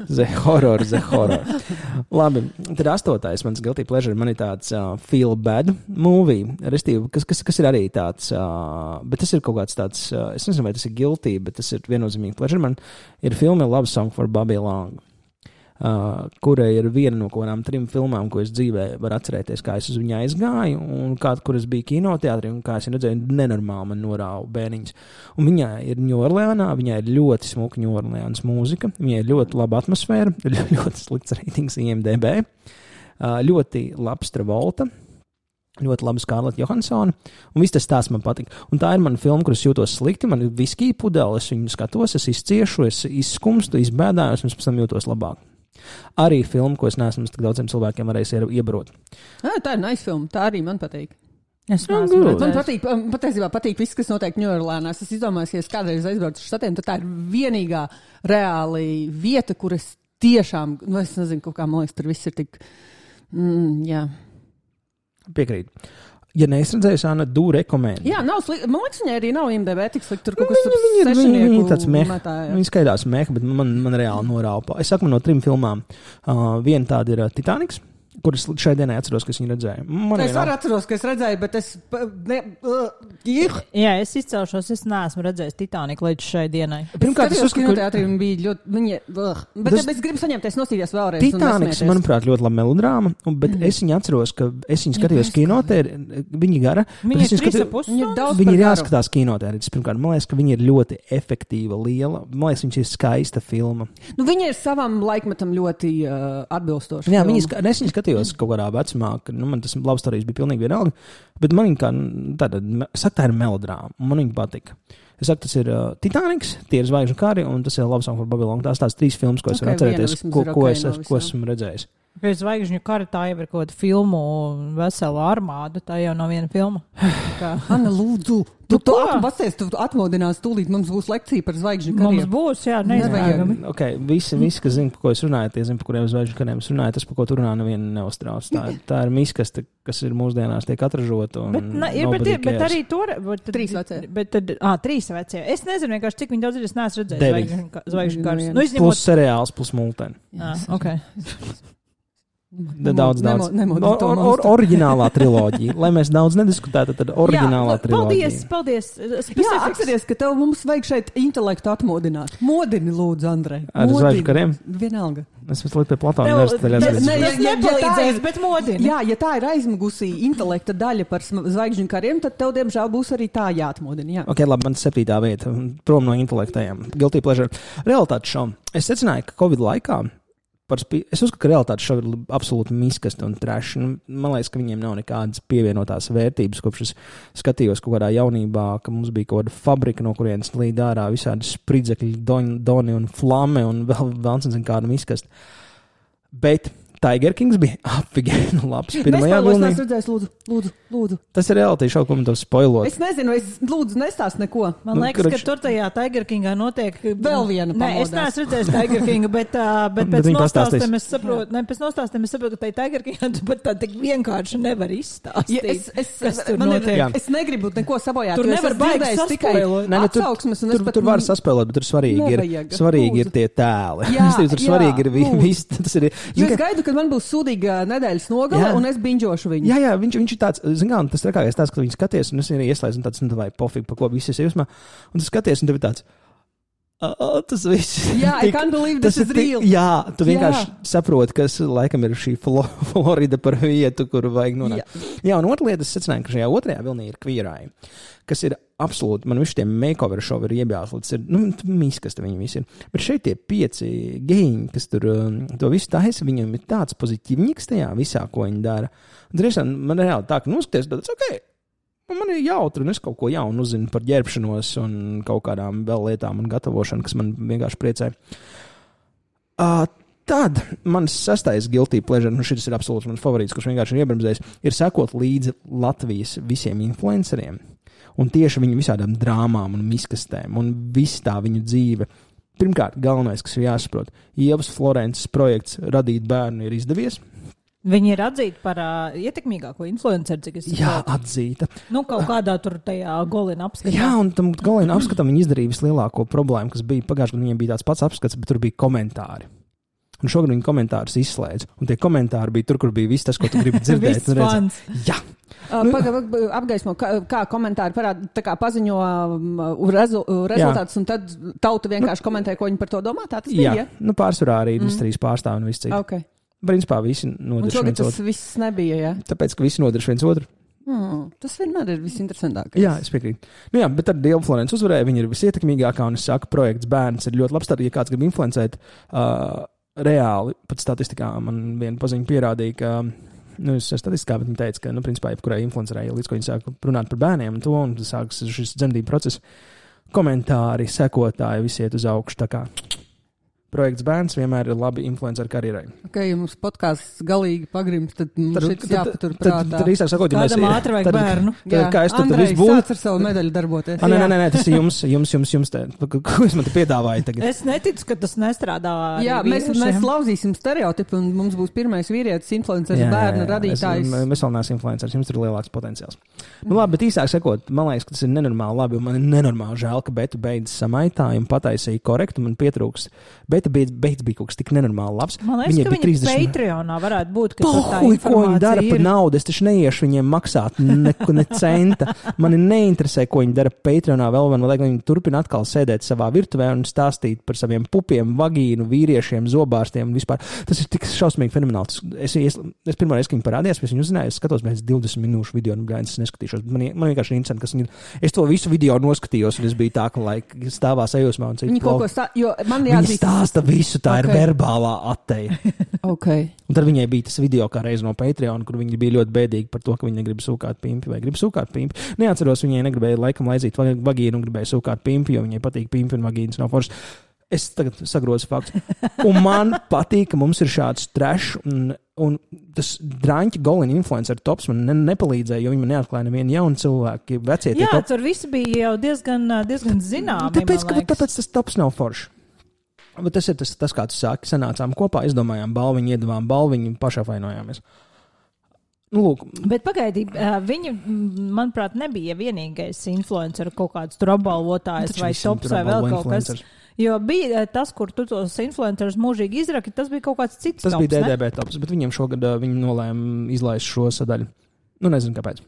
The horror. Labi, tad 8. mans guilty pleasure man ir tāds feel bad movie, restīvi, kas ir arī tāds, bet tas ir kaut kāds tāds, es nezinu, vai tas ir guilty, bet tas ir viennozīmīgi pleasure. Man ir filma Love Song for Bobby Long, kurai ir viena no kaut kādām 3 filmām, ko es dzīvē varu atcerēties, kā es uz viņu aizgāju, un kur es biju kinoteātrī, un kā es redzēju, nenormāli man norāva bērniņas. Un viņai ir Ņūorleānā, viņai ir ļoti smuka Ņūorleānas mūzika, viņai ir ļoti laba atmosfēra, ļoti slikts ratings IMDb, ļoti labs Travolta, ļoti labi Scarlett Johansson, un viss tas stāsts man patika. Un tā ir mana filma, kur es jūtos slikti, man ir viskija pudele, es viņu skatos, es izciešu, es izskumstu, izbēdājos, un es pēc tam jūtos labāk. Arī filma, ko es neesmu tik daudziem cilvēkiem varējis iebarot. Tā ir nice filma, tā arī man patīk. Man patiesībā patīk viss, kas notiek Ņūorleānā. Es izdomāju, ka es kādreiz aizbraucu uz štatiem, tad tā ir vienīgā reāli vieta, kur es tiešām, es nezinu, kaut kā, man liekas, tur viss ir tik, jā. Piekrīt. Ja neizredzējusi, Anna, do rekomend. Jā, nav slikti. Man liekas, viņai arī nav IMDb tik slikti. Tur kaut kas tur sešinieku viņa tāds meha. Viņa skaidās meha, bet man reāli norāpa. Es saku, man no 3 filmām. Viena tāda ir Titaniks. kuras šai dienai atceros, ka es viņu redzēju. Es arī atceros, ka es redzēju, bet es... Jā, es izcelšos, es neesmu redzējis Titaniku līdz šai dienai. Pirmkārt, es uzskatu, ka teātrī bija ļoti... Bet es gribu saņemties nosīties vēlreiz. Titaniks, manuprāt, ļoti laba melodrāma, bet es viņu atceros, ka es viņu skatījos kinotēri, viņi gara. Viņi ir 3,5 stundas. Viņi ir jāskatās kinotēri. Pirmkārt, man liekas, ka viņi ir ļoti efektīva, liela. Man liekas, viņš ir skaista filma. Nu, viņi ir savam laikmetam ļoti atbilstoši. Jā, es viņu skatījos kaut kādā vecumā, ka man tas love stories bija pilnīgi vienalga, bet man viņa kā tāda, saka, tā ir melodrāma, man viņa patika. Es saku, tas ir Titaniks, tie ir Zvaigžņu kari, un tas ir Love Song for Babylon. Tās 3 filmas, ko es varu atcerēties, ko esmu redzējis. Pēc Zvaigžņu kara tā jau ir kaut kāda filmu vesela armāda, tā jau nav viena filma. Anna, lūdzu, tu atmodinās tūlīt, mums būs lekcija par Zvaigžņu kariem. Mums būs, jā, neizvērgami. Ok, visi, kas zina, par ko es runāju, tie zina, par kuriem Zvaigžņu kariem es runāju, tas, par ko tu runā, neviena neuztrauc. Tā ir miskaste, kas ir mūsdienās tiek atražota. Bet arī tur... 3 vecie. Bet tad, 3 vecie. Es nezinu vienkārši, cik viņi daudz ir, es neesmu redzējis Zvaigžņu karus. Plus seriāls, plus multeni. Ok. Daudz. Oriģinālā triloģija. Lai mēs daudz nediskutētu, tad oriģinālā triloģija. Paldies. Jā, atceries, ka mums vajag šeit intelektu atmodināt. Modini, lūdzu, Andrej. Ar Zvaigžņu kariem? Vienalga. Es visu laiku pie Platāna universitātē. Tas nepalīdzēs, bet modini. Jā, ja tā ir aizmugusī intelekta daļa par Zvaigžņu kariem, tad tev, diemžēl, būs arī tā jāatmodina. Jā. Ok, labi, man 7. vieta. Prom no intelektējiem. Guilty pleasure. Realitātes šovu. Es secināju, ka Covid laikā es uzskatu, ka realitātes šovi ir absolūti miskasti un treši. Man liekas, ka viņiem nav nekādas pievienotās vērtības, kopš es skatījos kaut kādā jaunībā, ka mums bija kaut kāda fabrika, no kurienes līd ārā visādi spridzekļi, doni un flame un vēl nezinu kāda miskasti. Bet Tiger Kings bija apvigēni labs. Pirmajā vilnī. Es redzēju, lūdzu. Tas ir realitāte šau, ko man tev spoilot. Es nezinu, lūdzu nestāst neko. Man liekas, ka tur tajā Tiger Kingā notiek vēl viena pamodās. Nē, es neesmu redzējis Tiger Kinga, bet pēc nostāstiem es saprotu, ka tai Tiger Kingā tu pat tā tik vienkārši nevar izstāstīt. Es negribu neko sabojāt. Tur nevar baigi saspēlot. Tur var saspēlot, bet tur svarīgi ir tie tēli. Tur svarīgi ir viss. Kad man būs sūdīga nedēļas nogale, un es binģošu viņu. Jā, viņš ir tāds, zināms, tas trakākais tāds, ka viņi skaties, un es arī ieslēdzu, un tāds, vai pofīgi, pa ko visi es jūsmā, un tu skaties, un tev ir tāds, tas viss. Jā, I can't believe this is real. Jā, tu vienkārši saproti, kas laikam ir šī Florida par vietu, kur vajag nonākt. Jā, un otra lieta, es secināju, ka šajā otrajā vilnī ir Queer Eye, kas ir absolūti, man visi tie makeover šovi ir iebjāslots, miskas te viņi visi ir. Bet šeit tie 5 gejiņi, kas tur to visu taisa, viņam ir tāds pozitīvniks tajā visā, ko viņi dara. Un tiešām man reāli tā, ka noskaties, bet ok, man ir jautri, un es kaut ko jaunu uzzinu par ģērbšanos un kaut kādām vēl lietām un gatavošanu, kas man vienkārši priecē. Tad mans 6. guilty pleasure, šis ir absolūts mans favorīts, kurš vienkārši ir iebremzējis, ir sekot līdzi Latvijas visiem influenceriem. Un tieši viņu visādām drāmām un miskastēm un viss tā viņu dzīve. Pirmkārt, galvenais, kas ir jāsaprot, Ievas Florences projekts radīt bērnu ir izdevies. Viņi ir atzīti par ietekmīgāko influenceru, cik es saprotu. Jā, atzīta. Kaut kādā tur tajā Golina apskatā. Jā, un tam Golina apskatam viņi izdarīja vislielāko problēmu, kas bija pagājušajā gadā, viņiem bija tāds pats apskats, bet tur bija komentāri. Un šogad viņi komentārus izslēdz. Un tie komentāri bija tur, kur bija viss tas, ko tu gribi dzirdēt. Jā. Apgaismo, kā komentāri parāda, tā kā paziņo rezultātus, un tad tauta vienkārši komentē, ko viņi par to domā. Tā tas bija? Jā, pārsvarā arī industrijas pārstāvi un viss cits. Okay. Principā visi nodarš viens otru. Un šogad tas viss nebija, jā? Tāpēc, ka visi nodarš viens otru. Tas vienmēr ir visinteresantākais. Jā, es piekrītu. Jā, bet tad Ieva Florence uzvarēja, viņa ir visietekmīgākā, un es saku, projekts bērns ir ļoti labs. Tad, ja kāds grib influencēt, reāli, pat statistikā man viena paziņa pierādīja, ka, statistikā, bet viņa teica, ka, principā, jebkurai influencerai, līdz ko viņa sāk runāt par bērniem un to, un sāks šis dzemdību process, komentāri, sekotāji, visi iet uz augšu, tā kā projekts bērns vienmēr ir labi influenceru karjerai. Ok, ja mums podkāsts galīgi pagrims, tad mums šeit jāpatur prātā. Tad īsāk sakot, ja mēs... Kādam ātri vajag bērnu. Kā es tur Andrej, visu būtu? sāc ar savu medaļu darboties. Nē, tas ir jums te. Ko es man te piedāvāju tagad? Es neticu, ka tas nestrādā. Jā, mēs lauzīsim stereotipu, un mums būs pirmais vīrietis influenceris, bērnu radītājs. Mēs vēl neesam influenceris, jums ir lielāks potenciāls. Labi, bet īsāk sakot, man liekas, ka tas ir nenormāli labi, un man ir nenormāli žēl, ka Beta beidz samaitāju un pataisīja korektu, man pietrūks. Beta beidz bija kaut kas tik nenormāli labs. Man liekas, ka viņa Patreonā varētu būt, ka tur tā informācija ko viņi dara ir. par naudu, es taču neiešu viņiem maksāt ne centa. Mani neinteresē, ko viņi dara Patreonā vēl, man vajag, viņi turpina atkal sēdēt savā virtuvē un stāstīt par saviem pupiem, vagīnu, vīriešiem, zobārstiem un vispār. Tas ir tik šausmīgi fenomenāls. Es pirmo reizi, kad viņi parādījās, es viņu uzzināju, es skatos pēc 20 minūšu video, un es neskatīšos. Man vienkārši ir interesanti, kas viņi ir. Es to visu video noskatījos, un es biju tā, ka stāvā sajūsmā un citu. Viņi kaut ko Viņi stāsta visu, tā ir verbālā atteja. Okay. Un tad viņai bija tas video kā reiz no Patreon, kur viņi bija ļoti bēdīgi par to, ka viņi negrib sūkāt pimpi vai grib sūkāt pimpi. Neatceros, viņai negribēja laikam laizīt vagīnu un gribēja sūkāt pimpi, jo viņai patīk pimpi un vagīnas nav foršas. Es tagad sagrozu faktu. Un man patīk, ka mums ir šāds trash un tas drāņķi Golin influencer tops man nepalīdzēja, jo viņi man neatklāja nevienu jaunu cilvēku. Vecie tie jā, tur visi bija jau diezgan zināmi. Tāpēc tas tops nav foršs. Bet tas ir tas, kā tu sāki, sanācām kopā, izdomājām balviņu, iedavām balviņu, pašapvainojāmies. Nu, lūk. Bet pagaidi, viņi, manuprāt, nebija vienīgais influencer kaut kāds tur apbalvotājs vai tops vai vēl kaut kas. Jo bija tas, kur tu tos influencerus mūžīgi izraki, tas bija kaut kāds cits tas tops, bija DDB tops, bet viņiem šogad viņi nolēma izlaist šo sadaļu. Nu, nezinu, kāpēc.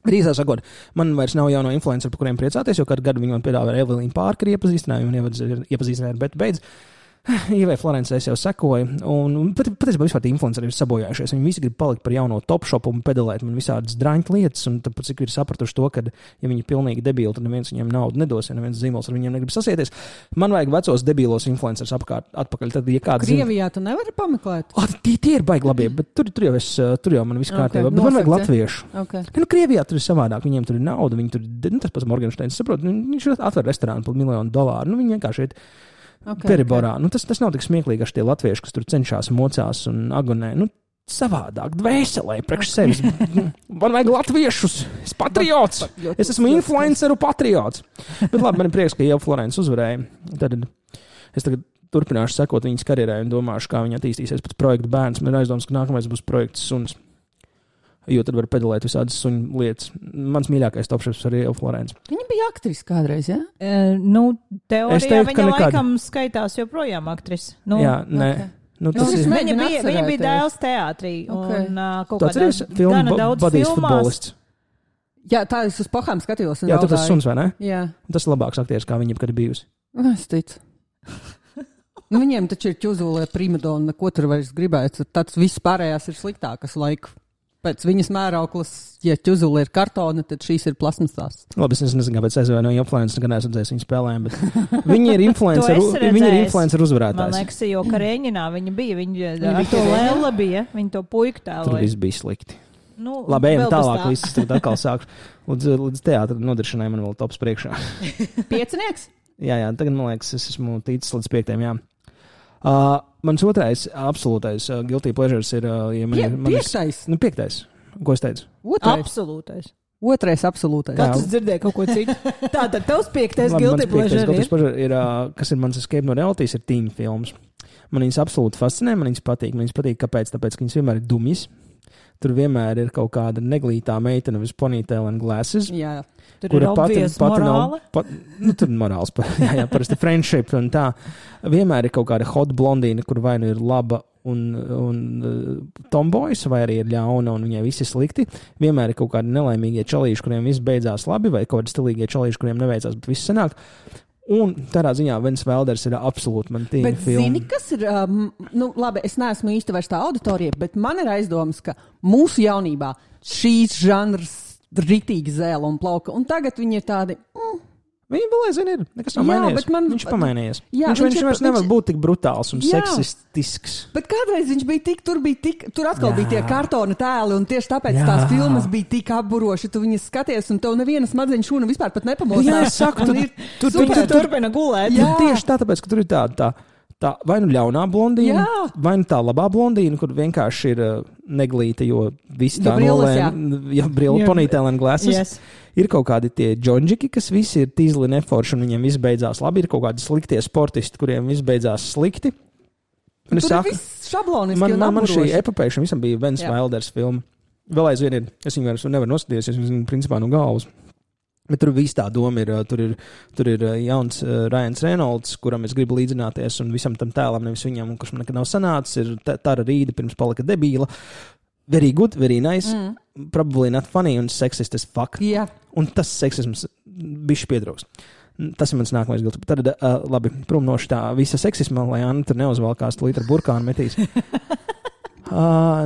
Rīzā sakot, man vairs nav jauno influenceru, par kuriem priecāties, jo katru gadu viņi man piedāvāja Evelīnu Pārkeri iepazīstinājumu un iepazīstinājumu, bet beidz. Ievai Florence es jau sekoju, un patiesībā vispār tie influenceri ir sabojājušies. Viņi visi grib palikt par jauno Topshopu un pedalēt man visādas draņķu lietas, un tāpēc cik ir sapratuši to, ka, ja viņi ir pilnīgi debīli, tad neviens viņiem naudu nedos, ja neviens zīmols ar viņiem negrib sasieties. Man vajag vecos debīlos influencerus atpakaļ. Tad, ja kāds Krievijā tu nevari pameklēt? Tie ir baigi labi, bet tur jau man viss kārtībā. Bet man vajag latviešu. Okay. Nu, Krievijā tur ir savādāk, viņiem tur ir nauda, viņi tur, tas pats Morgensteins, saprot, viņš atver restorānu par $1 miljonu. Nu, viņi vienkārši ir periborā. Nu, tas nav tik smieklīgi, ka tie latvieši, kas tur cenšas mocās un agonē. Nu, savādāk, dvēselē, priekš sevis. Man vajag latviešus. Es patriots. Es esmu influenceru patriots. Bet labi, man ir prieks, ka Ieva Florence uzvarēja. Tad es tagad turpināšu sekot viņas karjerai un domāšu, kā viņa attīstīsies pēc projekta bērns. Man ir aizdoms, ka nākamais būs projekts suns. Jo tad var pedalēt visādas suņu lietas. Mans mīļākais topšefs arī Ieva Florence. Viņa bija aktrise kādreiz, jā? Teorijā viņa laikam skaitās joprojām aktrise. Jā, nē. Okay. Viņa bija dēls teātrī. Okay. Un kaut kādā gana daudz filmās. Jā, tā es uz pohām skatījos. Jā, tur tas suns, vai ne? Jā. Tas ir labāks aktieris, kā viņa jebkad ir bijusi. Es ticu. Viņiem taču ir ķuzulē primadona, ko tur vairs gribētu. Tāds viss pārējās ir sliktākas laiku. Pēc viņas mērauklas, ja ķuzuli ir kartona, tad šīs ir plasmasās. Labi, es nezinu, kāpēc aizvainoju influenceru, gan es redzēju viņu spēlēm, bet viņi ir influenceru uzvarētājs. Man liekas, jo Karēņinā viņa bija, viņa to Lēla bija, viņa to puiku tēloja. Tur viss bija slikti. Nu, labi, ejam tālāk, viss tagad atkal sākšu. Līdz teātra nodiršanai man vēl tops priekšā. Piecinieks? Jā, tagad man liekas, es esmu ticis līdz 5. jā. Mans otrais absolūtais guilty pleasures ir... Piektais? 5. Ko es teicu? Absolūtais. Otrais absolūtais. Kā tu dzirdēji kaut ko citu? Tātad tavs 5. guilty pleasure ir, kas ir mans escape no realities, ir tīņu filmas. Man viņas absolūti fascinē, man viņas patīk. Kāpēc? Tāpēc, ka viņas vienmēr ir dumjas. Tur vienmēr ir kaut kāda neglītā meitene with ponytail and glasses. Jā. Tur ir obvious morāla. Tur morāls, jā, parasti friendship un tā. Vienmēr ir kaut kāda hot blondīna, kur vai nu ir laba un tomboys, vai arī ir ļauna un viņai visi slikti. Vienmēr ir kaut kādi nelaimīgie čalīši, kuriem viss beidzās labi, vai kaut kādi stilīgie čalīši, kuriem neveicās, bet viss sanāk. Un tādā ziņā Vens Velders ir absolūti man tīņa filma. Bet zini, kas ir, labi, es neesmu īsti vairs tā auditorija, bet man ir aizdomas, ka mūsu jaunībā šīs žanrs ritīgi zēla un plauka, un tagad viņi ir tādi... Viņa vēl aizvien ir, nekas nav mainījies. Viņš pamainījies. Jā, viņš vairs nevar būt tik brutāls un seksistisks. Bet kādreiz viņš bija tur atkal bija tie kartona tēli, un tieši tāpēc tās filmas bija tik apburoši, tu viņas skaties, un tev neviena smadzeņu šūna vispār pat nepamostās. Jā, es saku, tu turpina gulēt. Jā. Tieši tāpēc, ka tur ir tā vai nu ļaunā blondīna, vai nu tā labā blondīna, kur vienkārši ir neglīta, jo visi tā brīla ponytail and glasses. Yes. Ir kaut kādi tie džonģiki, kas visi ir tīzli neforši un viņiem viss beidzās labi. Ir kaut kādi sliktie sportisti, kuriem viss beidzās slikti. Un tur ir viss šabloniski un man šī apburoši. epopēja visam bija Vens Velders filma. Vēl aizvien ir. Es viņu vairs nevaru noskatīties, es viņu principā no galvas. Bet tur viss tā doma ir, tur ir jauns Ryans Reynolds, kuram es gribu līdzināties, un visam tam tēlam, nevis viņam, kurš man nekad nav sanācis, ir Tara Rīda pirms palika debīla. Very good, very nice, probably not funny un sexist as fuck. Yeah. Un tas seksisms bišķi pietrūks. Tas ir mans nākamais gilts. Tad, labi, prom no šitā visa seksisma, lai Anna tur neuzvalkās tūlīt ar burkānu metīs.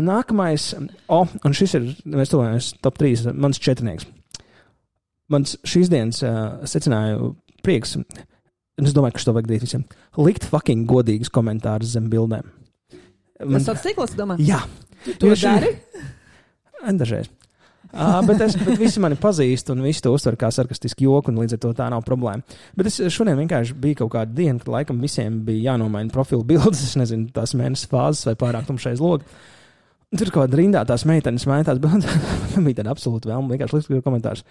Nākamais, un šis ir, mēs tuvojamies top 3, mans četrnieks. Mans šīs dienas secināju prieks, un es domāju, ka šo vajag darīt visiem, likt fucking godīgus komentārus zem bildēm. Tas tāds cikls, domā? Jā. Tu dari? Dažreiz. Bet visi mani pazīst, un visi to uztver kā sarkastiski joku, un līdz ar to tā nav problēma. Bet es šodien vienkārši bija kaut kāda diena, kad laikam visiem bija jānomaina profilu bildes, es nezinu, tās mēnesis fāzes vai pārāk tumšais log. Tur kaut kāda rindā tās meitenes maina tās bildes, man bija tāda absolūta vēlma, vienkārši likt komentārus.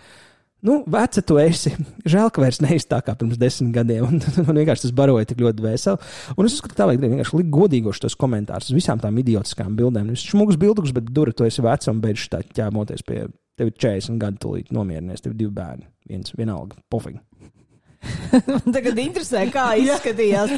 Nu, veca tu esi. Žēl, ka vairs neesi tā kā pirms 10 gadiem. Un man vienkārši tas baroja tik ļoti veseli. Un es uzskatu, ka tā vajag vienkārši likt godīgoši tos komentārus uz visām tām idiotiskām bildēm. Nevis šmugus bildukus, bet dura, tu esi veca un beidz tā ķēmoties pie tevi 40 gadu tūlīt nomierinies. Tev 2 bērni. Vienalga. Pofīgi. Man tagad interesē, kā izskatījās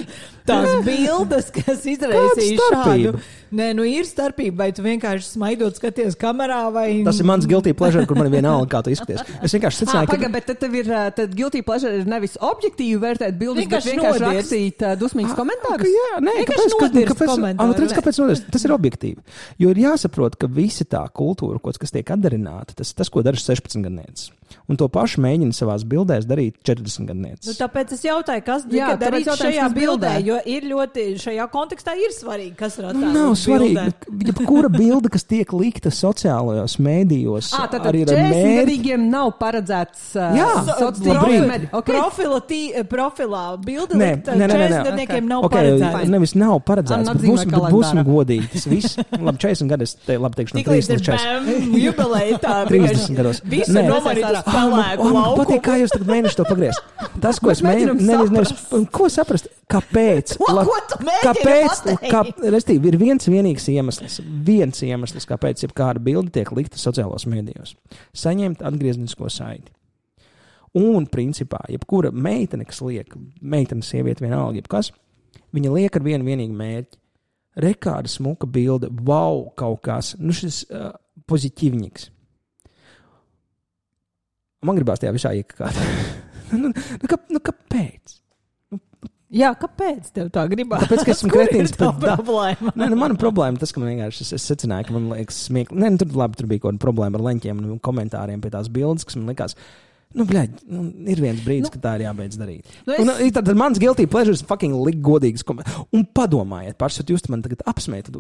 tās bildes, kas izraisīja šādu. Nē, nu ir starpība, vai tu vienkārši smaidot skaties kamerā, vai... Tas ir mans guilty pleasure, kur man ir vienalga, kā tu izskaties. Es vienkārši secināju, ka... Bet tad tev ir, tad guilty pleasure ir nevis objektīvi vērtēt bildes, bet vienkārši rakstīt dusmīgus komentārus? Jā, nē, kāpēc nodirst? Tas ir objektīvi. Jo ir jāsaprot, ka visa tā kultūra, kas tiek atdarināta, tas, ko dara 16 gadnieces. Un to pašu mēģina savās bildēs darīt 40 gadnieces. Nu, tāpēc es jautāju, kas tika darīts šajā bildē, jo ir ļoti, šajā kontekstā ir svarīgi, kas ir attēlot. Nav svarīgi, jebkura bilde, kas tiek likta sociālajos mēdījos, arī ar mērķi. 40-gadīgiem nav paredzēts profilā bilde likta 40-gadniekiem nav paredzēts. Nevis nav paredzēts, bet būsim godīgi. Tas viss, labi, 40 gadu es teikšu no 30 līdz 30 gados. Visu nomarīt uz pelēku lauku. Man patīk, kā jūs tagad mēģināt to pagriezt. Tas, ko es mēģinu, ko saprast, kāpēc? Ko tu mēģini pateikt? Restīvi, ir viens iemesls, kāpēc jebkāda bilde tiek likta sociālos mēdījos. Saņemt atgrieznisko saiti. Un, principā, jebkura meitene, kas liek, meitene, sieviete, vienalga, jebkas, viņa liek ar vienu vienīgu mērķi. Rekāda smuka bilde, wow, kaut kas, nu šis pozitīvniks. Man gribās tajā visā iekakāt. Kāpēc? Jā, kāpēc tev tā gribās? Tāpēc, ka esmu kretīns. Kur ir tā problēma? Nē, mana problēma tas, ka man vienkārši es secināju, ka man liekas smieklīgi. Nē, tur bija kaut kāda problēma ar leņķiem un komentāriem pie tās bildes, kas man likās, ir viens brīdis, ka tā ir jābeidz darīt. Tad mans guilty pleasures fucking likt godīgas komentārus. Un padomājiet, pārsvarot, jūs man tagad apsmējat.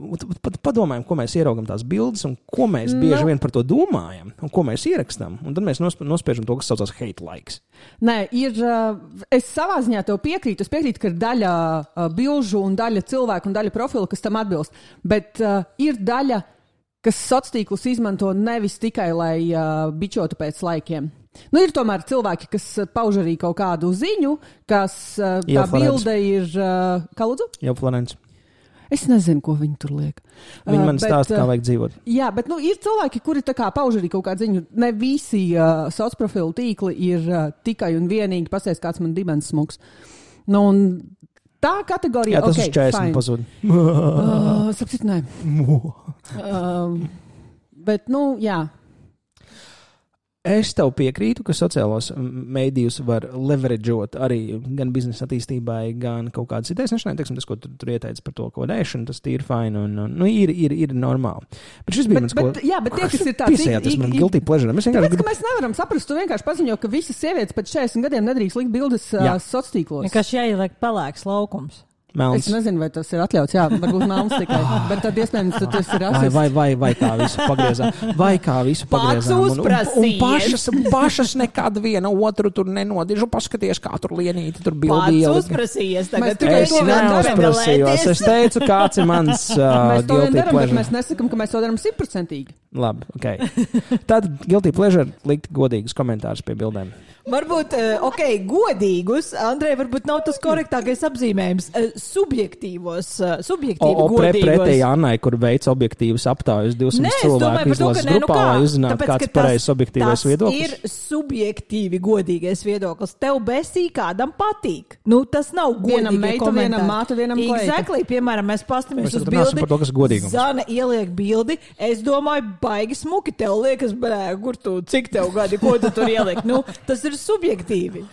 Padomājam, ko mēs ieraugam tās bildes un ko mēs bieži vien par to domājam un ko mēs ierakstām. Un tad mēs nospiežam to, kas saucās hate likes. Nē, es savā ziņā tev piekrītu. Es piekrītu, ka ir daļa bilžu un daļa cilvēku un daļa profilu, kas tam atbilst. Bet ir daļa, kas sociālos tīklus izmanto nevis tikai, lai bičotu pēc laikiem. Nu, ir tomēr cilvēki, kas pauž arī kaut kādu ziņu, kas tā bilde ir... Kā lūdzu? Jau Florence. Es nezinu, ko viņi tur liek. Viņi man stāsta, kā vajag dzīvot. Jā, bet ir cilvēki, kuri tā kā pauž arī kaut kādu ziņu. Ne visi sociālo tīkli ir tikai un vienīgi pasties, kāds man dibens smuks. Nu, un tā kategorija... Jā, tas uz 40 pazūd. Sapsit, nē. Bet, jā... Es tev piekrītu, ka sociālos mēdījus var leverageot arī gan biznesa attīstībai, gan kaut kādas idejas. Teiksim, tas, ko tur ieteica par to kodēšanu, tas ir fine un ir normāli. Bet šis bija mans, ko... Jā, bet tie, kas ir tāds... Piesējāt, tas man guilty pleasure. Tāpēc, ka mēs nevaram saprast, tu vienkārši paziņo, ka visas sievietes pēc 40 gadiem nedrīkst likt bildes sociālos tīklos. Kas jāieliek pelēks laukums. Melns. Es nezinu, vai tas ir atļauts, jā, varbūt melns tikai, bet tad iespējams, tas ir rasists. Vai kā visu pagriezām. Un pašas nekad viena otru tur nenodižu, paskaties, kā tur lienīti, tur bildīja. Pats uzprasījies tagad. Es neuzprasījos, es teicu, kāds ir mans guilty pleasure. Bet mēs nesakam, ka mēs to daram 100%. Labi, ok. Tad guilty pleasure likt godīgus komentārus pie bildēm. Varbūt, godīgus, Andrej, varbūt nav tas korektākais apzīmējums. subjektīvi godīgos. Pretēji Annai, kur veic objektīvas aptājas 200 cilvēku izlases grupā, lai uzzinātu, kāds pareizs objektīvais viedoklis. Tas ir subjektīvi godīgais viedoklis. Tev besī kādam patīk. Nu, tas nav godīgi. Vienam meitu, vienam mātu, vienam kleita. Exactly, piemēram, mēs pastamies uz bildi. Par to, kas godīgums. Zana ieliek bildi. Es domāju, baigi smuki. Tev liekas, kur tu, cik tev gadi, ko tu tur ieliek. Nu, tas ir subjektīvi.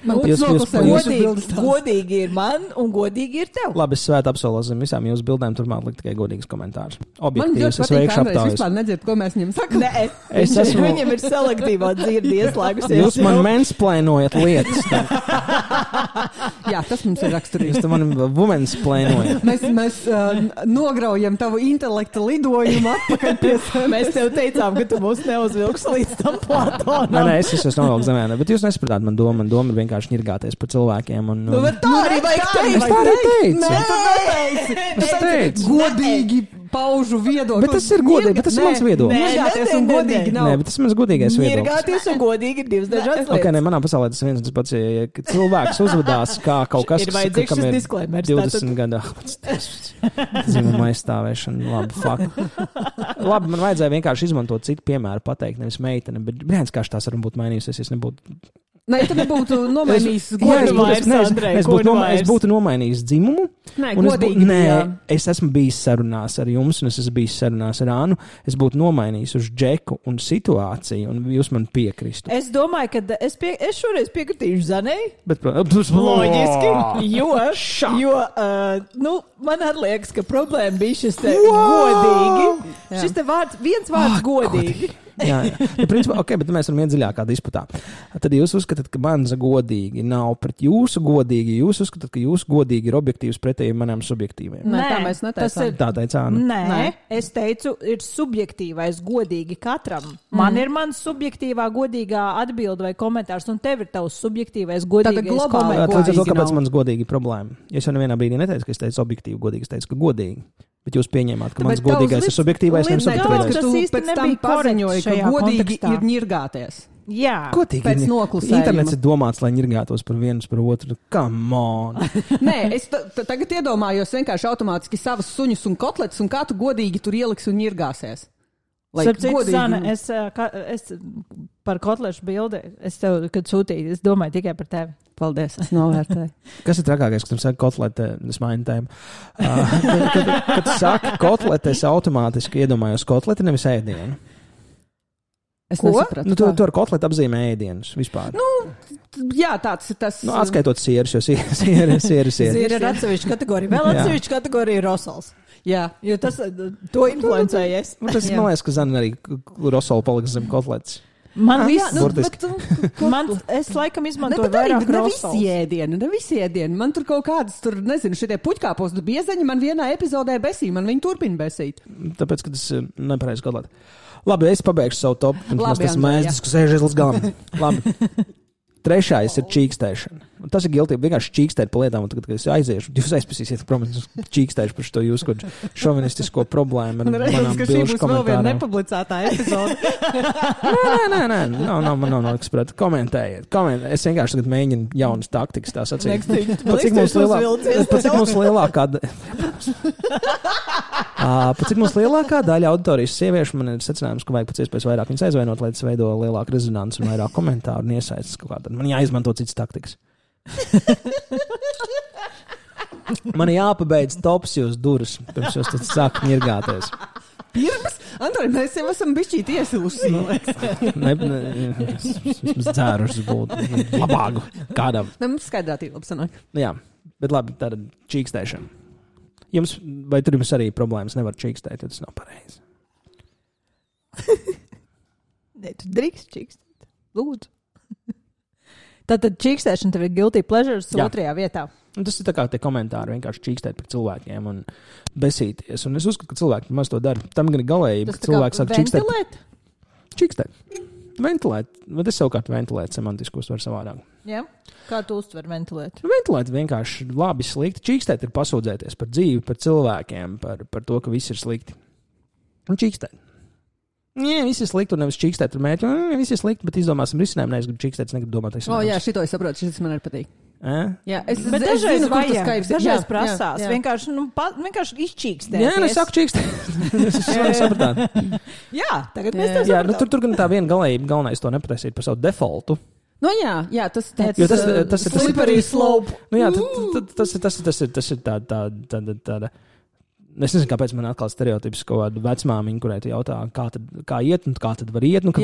Godīgi ir man un godīgi ir tev. Labi, es svētu apsolos zem visām jūsu bildēm, turmāk likt tikai godīgas komentārus. Objektīvs, es veikšu aptājas. Man vispār nedzird, ko mēs viņam sakam. Nē, viņam ir selektīvā dzirdi ieslēgusies. Jūs man mansplainojat lietas. Jā, tas mums ir raksturīgi. Jūs man womansplainojat. Mēs nograujam tavu intelekta lidojumu atpakaļ pie sevis. Mēs tev teicām, ka tu mūs neuzvilks līdz tam Platonam. Nē, es esmu novilks zemē, bet jūs nesapratāt man domu. Man doma ir vienkārši ņirgāties par cilvēkiem. Nu, bet tā arī vajag teikt. Es tā arī teicu. Nē, tu neteici. Es teicu. Godīgi paužu viedokli. Bet tas ir godīgi, bet tas ir mans viedoklis. Nirgāties un godīgi nav. Nē, bet tas ir mans godīgais viedoklis. Nirgāties un godīgi ir divas dažādas lietas. Ok, ne, manā pasaulē tas viens un tas pats, ja cilvēks uzvedās kā kaut kas, ir vajadzīgs kam šis ir disklēmers. 20 gadu. Dzimuma aizstāvēšana, labi, fuck. Labi, man vajadzēja vienkārši izmantot citu piemēru pateikt, nevis meitene, bet brīdis, kā tās varbūt mainījusies, es nebūtu. Nē, tu nebūtu nomainījis es būtu nomainījis dzimumu. Nē, godīgi. Es esmu bijis sarunās ar jums, un es esmu bijis sarunās ar Ānu. Es būtu nomainījis uz Džeku un situāciju, un jūs man piekristu. Es domāju, ka es šoreiz piekritīšu Zanei. Bet, loģiski, jo man arī liekas, ka problēma bija šis te godīgi. Jā. Šis te viens vārds godīgi. Jā. Principā, ok, bet mēs varam iet dziļākā disputā. Tad jūs uzskatāt, ka mans godīgi nav pret jūsu godīgi. Jūs uzskatāt, ka jūsu godīgi ir objektīvs pretēji manām subjektīviem. Nē, tā mēs neteicām. Tā teica Āna. Nē, es teicu, ir subjektīvais godīgi katram. Man ir mans subjektīvā godīgā atbilde vai komentārs, un tev ir tavs subjektīvais godīgais komentārs. Līdz ar to, kāpēc mans godīgi problēma? Es jau nevienā brīdī neteicu, ka es teicu objektīvi godīgi, es teicu, ka godīgi. Bet jūs pieņēmāt, ka mans godīgais ir subjektīvais, nevis subjektīvais. Tas īsti nebija paziņoja, ka godīgi kontekstā ir ņirgāties. Jā. Godīgi pēc noklusējuma. Internets ir domāts, lai ņirgātos par vienu par otru. Come on! Nē, es tagad iedomājos vienkārši automātiski savas suņus un kotletes, un kā tu godīgi tur ieliksi un ņirgāsies. Zana, es par kotlešu bildi, es tev, kad sūtīju, es domāju tikai par tevi. Paldies, es novērtēju. Kas ir trakākais, kad tu saki kotlete, es mainu tēmu. Kad tu saki kotlete, es automātiski iedomājos kotleti, nevis ēdienu. Es nesapratu. Tu ar kotleti apzīmē ēdienus vispār. Jā, tāds ir tas. Atskaitot sieras, jo sieras. Siera ir atsevišķa kategorija. Vēl atsevišķa kategorija ir rosals. Jā, jo tas to influencējies. Tas man liekas, ka Zana arī rosolu paliks zem kotletes. Es laikam izmantoju vairāk rosols. Ne visi ēdieni. Man tur kaut kādas, šitie puķkāpos biezeņi man vienā epizodē besī. Man viņi turpina besīt. Tāpēc, ka tas nepareizi kotlēt. Labi, es pabeigšu savu topu. Labi, tas mēdz, kas sēž līdz galam. Labi. Trešais ir čīkstēšana. Tas ir giltīgi vienkārši čīkstēt pa lietām, un tagad, kad es aiziešu, jūs aizpasīsiet, protams, čīkstēšu par šo jūsu šovinistisko problēmu. Man redzams, ka šī būs vēl viena nepublicētā epizode. Nē, nav kas pret. Komentējiet. Es vienkārši tagad mēģinu jaunas taktikas, tā sacīt. Pat cik mums lielākā daļa auditorijas sieviešu, man ir secinājums, ka vajag pēc iespējas vairāk viņas aizvainot, lai tas veido lielāku rezonanci un vairāk komentāru un iesaistas kaut kādā. Man jāizmanto citas taktikas. Man jāpabeidz tops jūs durvis, pirms jūs tad sāk ņirgāties. Pirms? Antoni, mēs jau esam bišķīt iesiluši. Mēs dzērušas būtu labāku kādam. Mums skaidrātība labi sanāk. Jā, bet labi, tāda čīkstēšana. Vai tur jums arī problēmas nevar čīkstēt, jo tas nav pareizi? Nē, tu drīkst čīkstēt. Lūdzu. Tātad čīkstēšana tev ir guilty pleasures otrajā vietā. Un tas ir tā kā tie komentāri vienkārši čīkstēt par cilvēkiem un besīties. Un es uzskatu, ka cilvēki maz to dara. Tam gan ir galējība, ka cilvēks sāk čīkstēt. Čīkstēt. Ventilēt. Bet es savukārt ventilēt semantiski uztveru savādāk. Jā. Kā tu uztver ventilēt? Ventilēt vienkārši labi slikti. Čīkstēt ir pasūdzēties par dzīvi, par cilvēkiem, par to, ka viss ir slikti. Un čīkstēt. Jā, viss ir slikti, un nevis čīkstēt ar mērķi. Viss ir slikti, bet izdomāsim risinājumu. Es gribu čīkstēt, es negribu domāt. Jā, šito es saprotu, šis man arī patīk. Jā, es Bet dažreiz zinu, kur tas vajag, Skypes. dažreiz Jā, prasās. jā. Vienkārši izčīkstēt. Jā, es saku čīkstēt. Es varu sapratāt. Jā, tagad mēs tev Jā, nu, sapratām. tur gan tā viena galējība, galvenais to nepataisīt par savu defaultu. Nu jā, tas Jo tas ir slippery slope. Nu, jā, tas ir tāda. Es nezinu, kāpēc man atkal stereotips kaut kāda vecmāmiņa, kurai tu jautā, kā iet, un kā tad var iet, nu, ka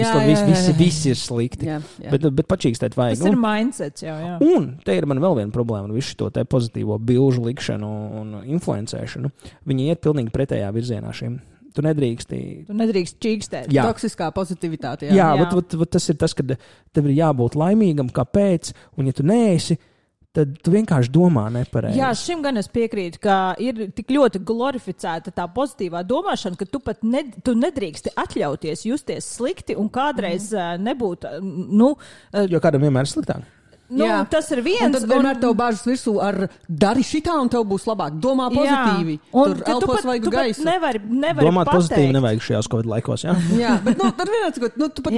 visi ir slikti. Jā. Bet pačīkstēt vajag. Tas ir mindsets jau, jā. Un te ir man vēl viena problēma ar visu to te pozitīvo bilžu likšanu un influencēšanu. Viņi iet pilnīgi pretējā virzienā šiem. Tu nedrīkst čīkstēt. Toksiskā pozitivitāte. Jā, vat tas ir tas, ka tev ir jābūt laimīgam, kāpēc, un ja tu neesi, tad tu vienkārši domā nepareizi. Jā, šim gan es piekrītu, ka ir tik ļoti glorificēta tā pozitīvā domāšana, ka tu pat tu nedrīksti atļauties justies slikti un kādreiz nebūt, Jo kādam vienmēr ir sliktāk. Tas ir viens. Un tad vienmēr tev bāžas virsū ar dari šitā un tev būs labāk. Domā pozitīvi. Un tur elpos vajag gaisu. Nevari domāt pateikt. pozitīvi nevajag šajās Covid laikos, jā? Jā, bet tad vienāds, ka tu pat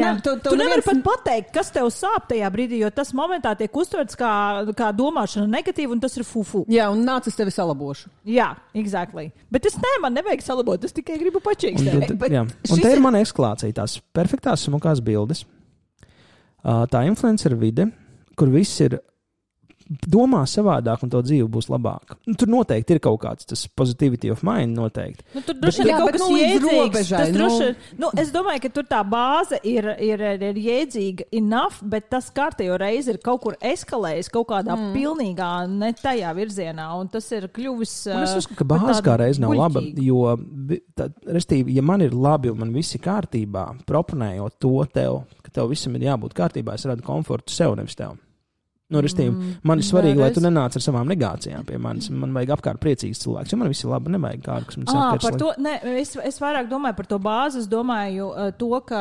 tu nevari pat pateikt, kas tev sāp tajā brīdī, jo tas momentā tiek uztverts kā domāšana negatīva un tas ir fufu. Jā, un nāc es tevi salabošu. Jā, exactly. Bet man nevajag salabot, es tikai gribu pačīkstēt. Un te ir mana eskalācija, tās perfektās smukās bildes. Tā influencer vide, kur viss ir domā savādāk un to dzīve būs labāka. Tur noteikti ir kaut kāds tas positivity of mind noteikti. Tur droši vien kaut kas jēdzīgs. Es domāju, ka tur tā bāze ir jēdzīga enough, bet tas kārtējo reizi ir kaut kur eskalējis kaut kādā pilnīgā ne tajā virzienā, un tas ir kļuvis. Es uzskatu, ka bāze kā reiz nav laba, jo, restīvi, ja man ir labi un man viss ir kārtībā, proponējot to tev, ka tev visam ir jābūt kārtībā, es radu komfortu sev, nevis tev. Man ir svarīgi, lai tu nenāc ar savām negācijām pie manis. Man vajag apkārt priecīgs cilvēks, jo man viss ir labi, nevajag kādu, kas man saka, par to, es vairāk domāju par to bāzi, es domāju to, ka,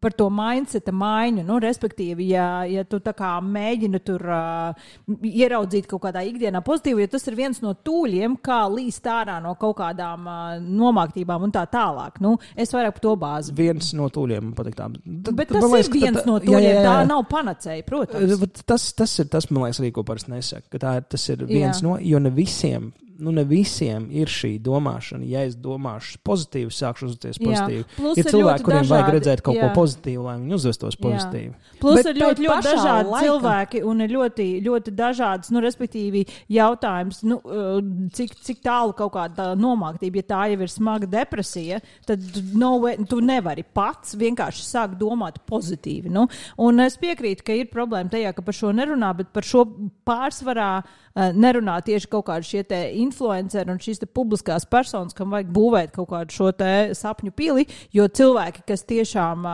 par to mindseta maiņu, respektīvi, ja tu tā kā mēģini tur ieraudzīt kaut kādā ikdienā pozitīvu, jo tas ir viens no tūļiem, kā līst ārā no kaut kādām nomāktībām un tā tālāk. Es vairāk par to bāzi. Viens no tūļiem, man patīk tā. Bet tas ir viens no tūļiem, tā nav panacēja, protams. Tas ir tas, man liekas, arī, ko parasti nesaka, ka tas ir viens no, jo ne visiem ir šī domāšana. Ja es domāšu pozitīvi, sākšu uzvesties pozitīvi. Ir cilvēki, kuriem vajag redzēt kaut ko pozitīvu, lai viņi uzvestos pozitīvi. Plus ir ļoti dažādi cilvēki un ir ļoti, ļoti dažādas, respektīvi jautājums, cik tālu kaut kāda nomāktība, ja tā jau ir smaga depresija, tad tu nevari pats vienkārši sākt domāt pozitīvi. Un es piekrītu, ka ir problēma tajā, ka par šo nerunā, bet par šo pārsvarā nerunā tieši kaut kādi šie te influenceri un šīs te publiskās personas, kam vajag būvēt kaut kādu šo te sapņu pili, jo cilvēki, kas tiešām,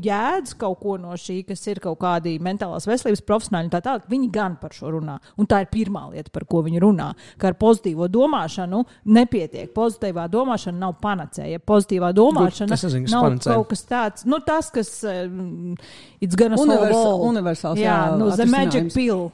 jēdz kaut ko no šī, kas ir kaut kādi mentālās veselības profesionāļi un tā tālāk, viņi gan par šo runā. Un tā ir pirmā lieta, par ko viņi runā, ka ar pozitīvo domāšanu nepietiek. Pozitīvā domāšana nav panacēja. Pozitīvā domāšana nav kaut kas tāds, tas, kas it's gonna solve all. Universāls, the magic pill.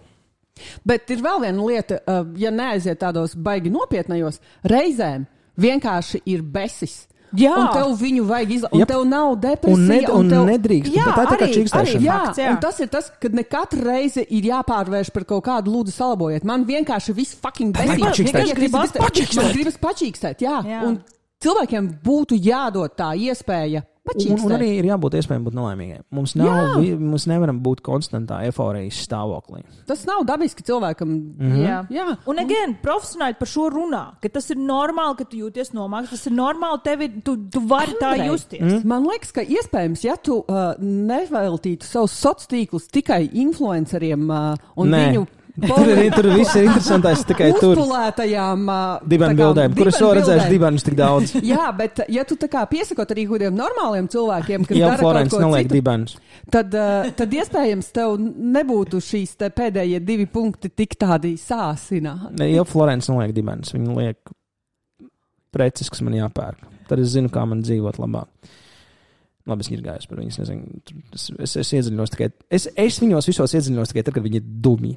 Bet ir vēl viena lieta, ja neaiziet tādos baigi nopietnajos, reizēm vienkārši ir besis. Jā. Un tev viņu vajag un tev nav depresija. Un nedrīkst. Jā, tā ir tā kā čīkstēšana. Jā, un tas ir tas, kad ne katru reizi ir jāpārvērš par kaut kādu lūdzu salabojiet. Man vienkārši viss fucking besīs. Man gribas pačīkstēt, jā. Un cilvēkiem būtu jādod tā iespēja. Un arī ir jābūt iespējami būt nelaimīgiem. Mums nevaram būt konstantā eforijas stāvoklī. Tas nav dabiski cilvēkam. Jā. Un profesionāļi par šo runā, ka tas ir normāli, ka tu jūties nomākts, tas ir normāli, tu vari tā justies. Man liekas, ka iespējams, ja tu neveltītu savus sociālos tīklus tikai influenceriem un viņu Tur viss ir interesantais tikai tur. Uzpulētajām dibenu bildēm, kuras vēl redzējuši dibenus tik daudz. Jā, bet ja tu tā kā piesakot arī kādiem normāliem cilvēkiem, kas dara Florence kaut ko neliek citu, dibenus. Tad iespējams tev nebūtu šīs te pēdējie 2 punkti tik tādi sāsināti. Ja Florence neliek dibenus, viņa liek preces, kas man jāpērk. Tad es zinu, kā man dzīvot labāk. Labi, es ņirgājos par viņu, es nezinu. Es iedziļinos tikai. Es viņos visos iedziļinos tikai tad, kad viņi ir dumi.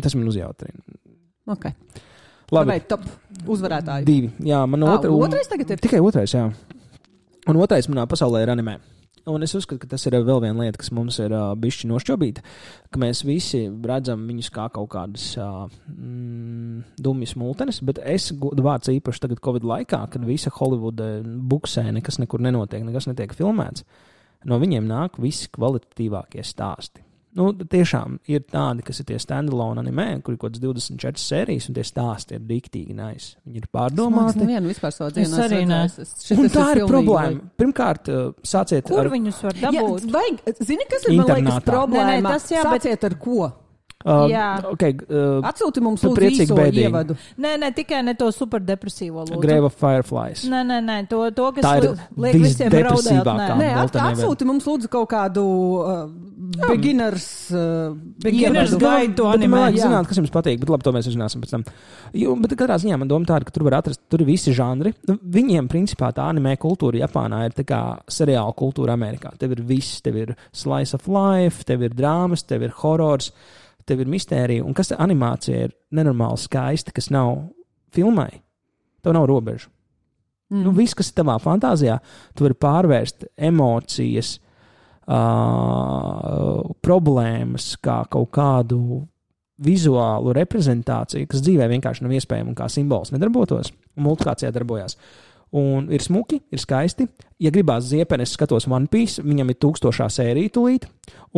Tas man uzjautrina. Ok. Labi. Vai top uzvarētāji? 2. Jā, man otrais tagad ir? Tikai otrais, jā. Un otrais manā pasaulē ir anime. Un es uzskatu, ka tas ir vēl viena lieta, kas mums ir bišķi nošķobīta, ka mēs visi redzam viņus kā kaut kādas dumjas multenes, bet es godu vārds īpaši tagad Covid laikā, kad visa Holivuda buksē, nekas nekur nenotiek, nekas netiek filmēts, no viņiem nāk visi kvalitatīvākie stāsti. Nu, tiešām ir tādi, kas ir tie standalone animē, kur ir kaut kāds 24 sērijas, un tie stāsti ir diktīgi nice. Viņi ir pārdomāti. Es nevienu vispār savu dzīvi arī ne. Un tā ir problēma. Pirmkārt, sāciet Kur ar... viņus var dabūt? Zini, kas ir, man liekas, problēma? Nē, tas jā, sāciet ar ko? Okay, Atsūti mums lūdzu īso ievadu. Nē, tikai ne to superdepresīvo lūdzu. Grave of Fireflies. Nē, to, kas tā ir liek visiem raudēt. Nē, atsūti mums lūdzu kaut kādu beginners guide to animē. Man vajag jā. zināt, kas jums patīk, bet labi, to mēs uzzināsim pēc tam. Bet katrā ziņā man doma tāda, ka tur var atrast, tur ir visi žanri. Viņiem, principā, tā animē kultūra Japānā ir tā kā seriāla kultūra Amerikā. Tev ir viss, tev ir slice of life, tev ir drāmas, tev ir horors, tev ir mistērija, un kas animācija ir nenormāli skaista, kas nav filmai. Tev nav robežu. Nu, viss, kas ir tavā fantāzijā, tu vari pārvērst emocijas, problēmas, kā kaut kādu vizuālu reprezentāciju, kas dzīvē vienkārši nav iespējama un kā simbols nedarbotos, un multikācijā darbojās. Un ir smuki, ir skaisti. Ja gribās ziepeni, es skatos One Piece, viņam ir 1000. sērija tūlīt,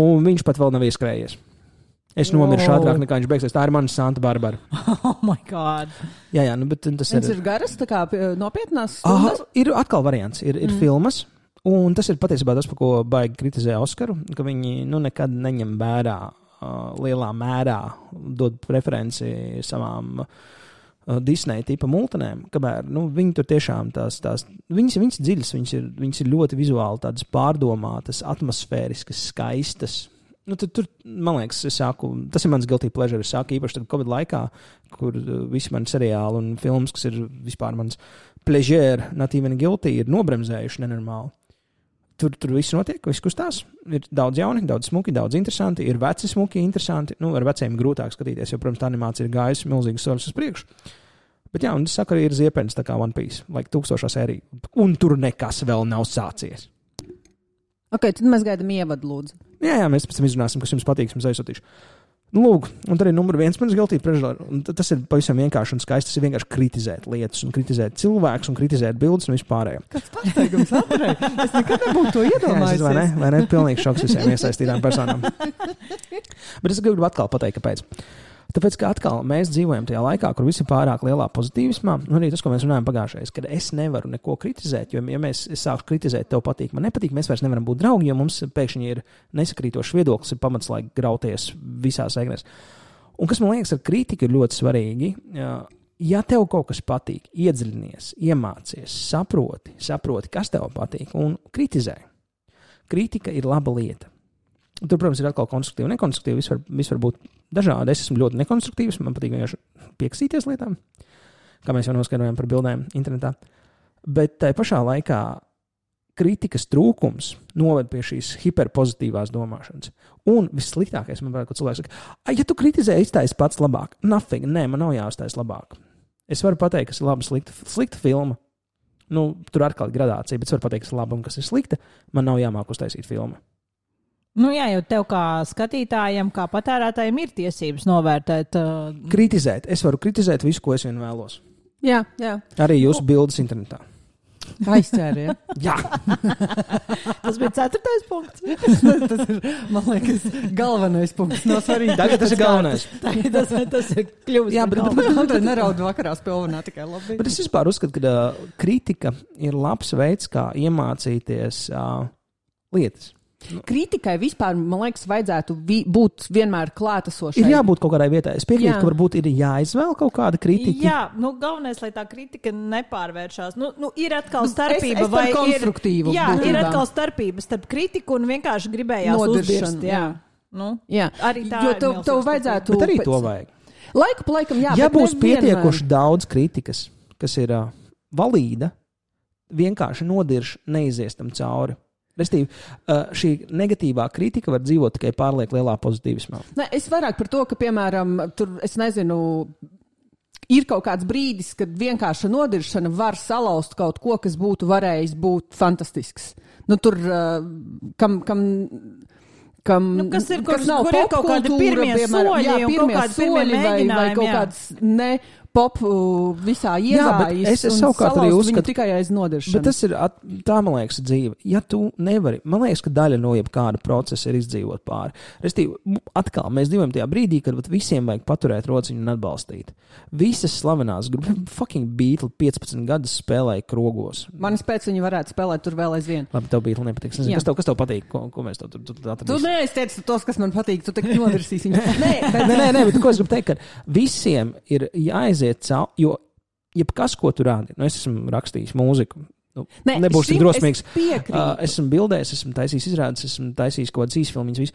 un viņš pat vēl nav ieskrējies. Es nomiršu ātrāk nekā viņš beigsies. Tā ir mana Santa Barbara. Oh my God. Jā, nu, bet tas ir garas, tā kā nopietnās stundas? Ir atkal variants, ir filmas, un tas ir patiesībā tas, par ko baigi kritizē Oskaru, ka viņi nekad neņem vērā lielā mērā, dod preferenci savām Disney tipa multenēm, kamēr viņi tur tiešām viņas dziļas, viņas ir ļoti vizuāli tādas pārdomātas, atmosfēriskas, skaistas. Tur, man liekas, tas ir mans guilty pleasure. Es sāku īpaši tad Covid laikā, kur visi mani seriāli un filmas, kas ir vispār mans pleasure, not even guilty, ir nobremzējuši nenormāli. Tur viss notiek, viss kustās. Ir daudz jauni, daudz smuki, daudz interesanti. Ir veci smuki, interesanti. Ar veciem grūtāk skatīties, jo, protams, tā animācija ir gājusi milzīgas soļus uz priekšu. Bet jā, un es saku, arī ir ziepens tā kā One Piece, 1000. sērija. Un tur nekas vēl nav sācies. Ok, tad mēs gaidām ievadu, lūdzu. Jā, mēs pēc tam izrunāsim, kas jums patīk, jums aizsūtīšu. Lūk, un tad ir numur 1 manas guilty pleasure. Tas ir pavisam vienkārši un skaisti. Tas ir vienkārši kritizēt lietas, un kritizēt cilvēkus, un kritizēt bildes un vispārējo. Kāds pārsteigums Andrej? Es nekad nebūtu to iedomājies. Vai ne? Pilnīgi šoks visiem iesaistītām personām. Bet es gribu atkal pateikt, kāpēc. Tāpēc, ka atkal mēs dzīvojam tajā laikā, kur visi pārāk lielā pozitīvismā, un arī tas, ko mēs runājam pagājušajā, kad es nevaru neko kritizēt, jo, ja es sāku kritizēt, tev patīk, man nepatīk, mēs vairs nevaram būt draugi, jo mums pēkšņi ir nesakrītošs viedoklis, ir pamats, lai grauties visās egnēs. Un kas man liekas ar kritiku ir ļoti svarīgi, ja tev kaut kas patīk, iedziļinies, iemācies, saproti, kas tev patīk, un kritizē. Kritika ir laba lieta. Tur, protams, ir atkal konstruktīvi un nekonstruktīvi. Viss var būt dažādi. Es esmu ļoti nekonstruktīvs. Man patīk vienkārši pieksīties lietām, kā mēs jau noskaidrojām par bildēm internetā. Bet tajā pašā laikā kritikas trūkums noved pie šīs hiperpozitīvās domāšanas. Un vissliktākais, man liekas, ka cilvēks saka, ja tu kritizē, iztaisi pats labāk. Nothing. Nē, man nav jāuztais labāk. Es varu pateikt, kas ir laba, slikta filma. Tur atkal ir gradācija, bet es varu pateikt, kas ir laba un kas ir slikta. Man nav jāmāk uztaisīt filmu. Jā, jo tev kā skatītājiem, kā patērētājiem ir tiesības novērtēt. Kritizēt. Es varu kritizēt visu, ko es vien vēlos. Jā. Arī jūsu bildes internetā. Aizķēri, ja? Jā. Tas bija 4. punkts. Tas ir, man liekas, galvenais punkts. No svarīgi. Tagad tas ir galvenais. Tas ir kļuvis. Jā, bet Andrej neraud vakarā spilvenā tikai labi. Bet es vispār uzskatu, ka kritika ir labs veids, kā iemācīties lietas. Kritikai vispār, man liekas, vajadzētu būt vienmēr klātesošai. Ir jābūt kaut kādai vietai. Es piekrītu, ka varbūt ir jāizvēl kaut kāda kritika. Jā, galvenais, lai tā kritika nepārvēršās. Ir atkal starpība. Es par konstruktīvu. Jā, ir atkal starpība starp kritiku un vienkārši gribējās uzdirst. Jā. Arī tā jo tev vajadzētu. Bet arī to vajag. Laiku pa laikam, jā. Ja būs pietiekoši daudz kritikas, kas ir valīda, vienkārši nodirš neizies tam cauri. Restīvi, šī negatīvā kritika var dzīvot tikai pārlieku lielā pozitīvismā. Es vairāk par to, ka, piemēram, tur, es nezinu, ir kaut kāds brīdis, kad vienkārša nodiršana var salauzt kaut ko, kas būtu varējis būt fantastisks. tur, kam kas ir, kas nav kur ir kaut kādi pirmie soļi, jā, pirmie kaut kādi pirmie soļi vai kaut kāds ne pop visā iegājis un salauzt viņu tikai aiz nodiršanu. Bet tas ir, tā man liekas, dzīve. Ja tu nevari, man liekas, ka daļa no jebkāda procesa ir izdzīvot pāri. Restīvi, atkal, mēs dzīvojam tajā brīdī, kad visiem vajag paturēt rociņu un atbalstīt. Visas slavenās grupas, fucking Beatles 15 gadus spēlēja krogos. Manis pēc viņi varētu spēlēt tur vēl aizvien. Labi, tev Beatles nepatiks. Kas tev patīk? Ko mēs tu atradīsim? Tu neizteici tos, kas man patīk, tu tik novirsīsi viņu. Nē, bet ko es gribu teikt, ka visiem ir jāaiziet cauri, jo jebkas, ko tu rādi, es esmu rakstījis mūziku, nebūs tik drosmīgs. Es esmu bildējis, esmu taisījis izrādes, esmu taisījis kaut kādas īsfilmiņas, visu.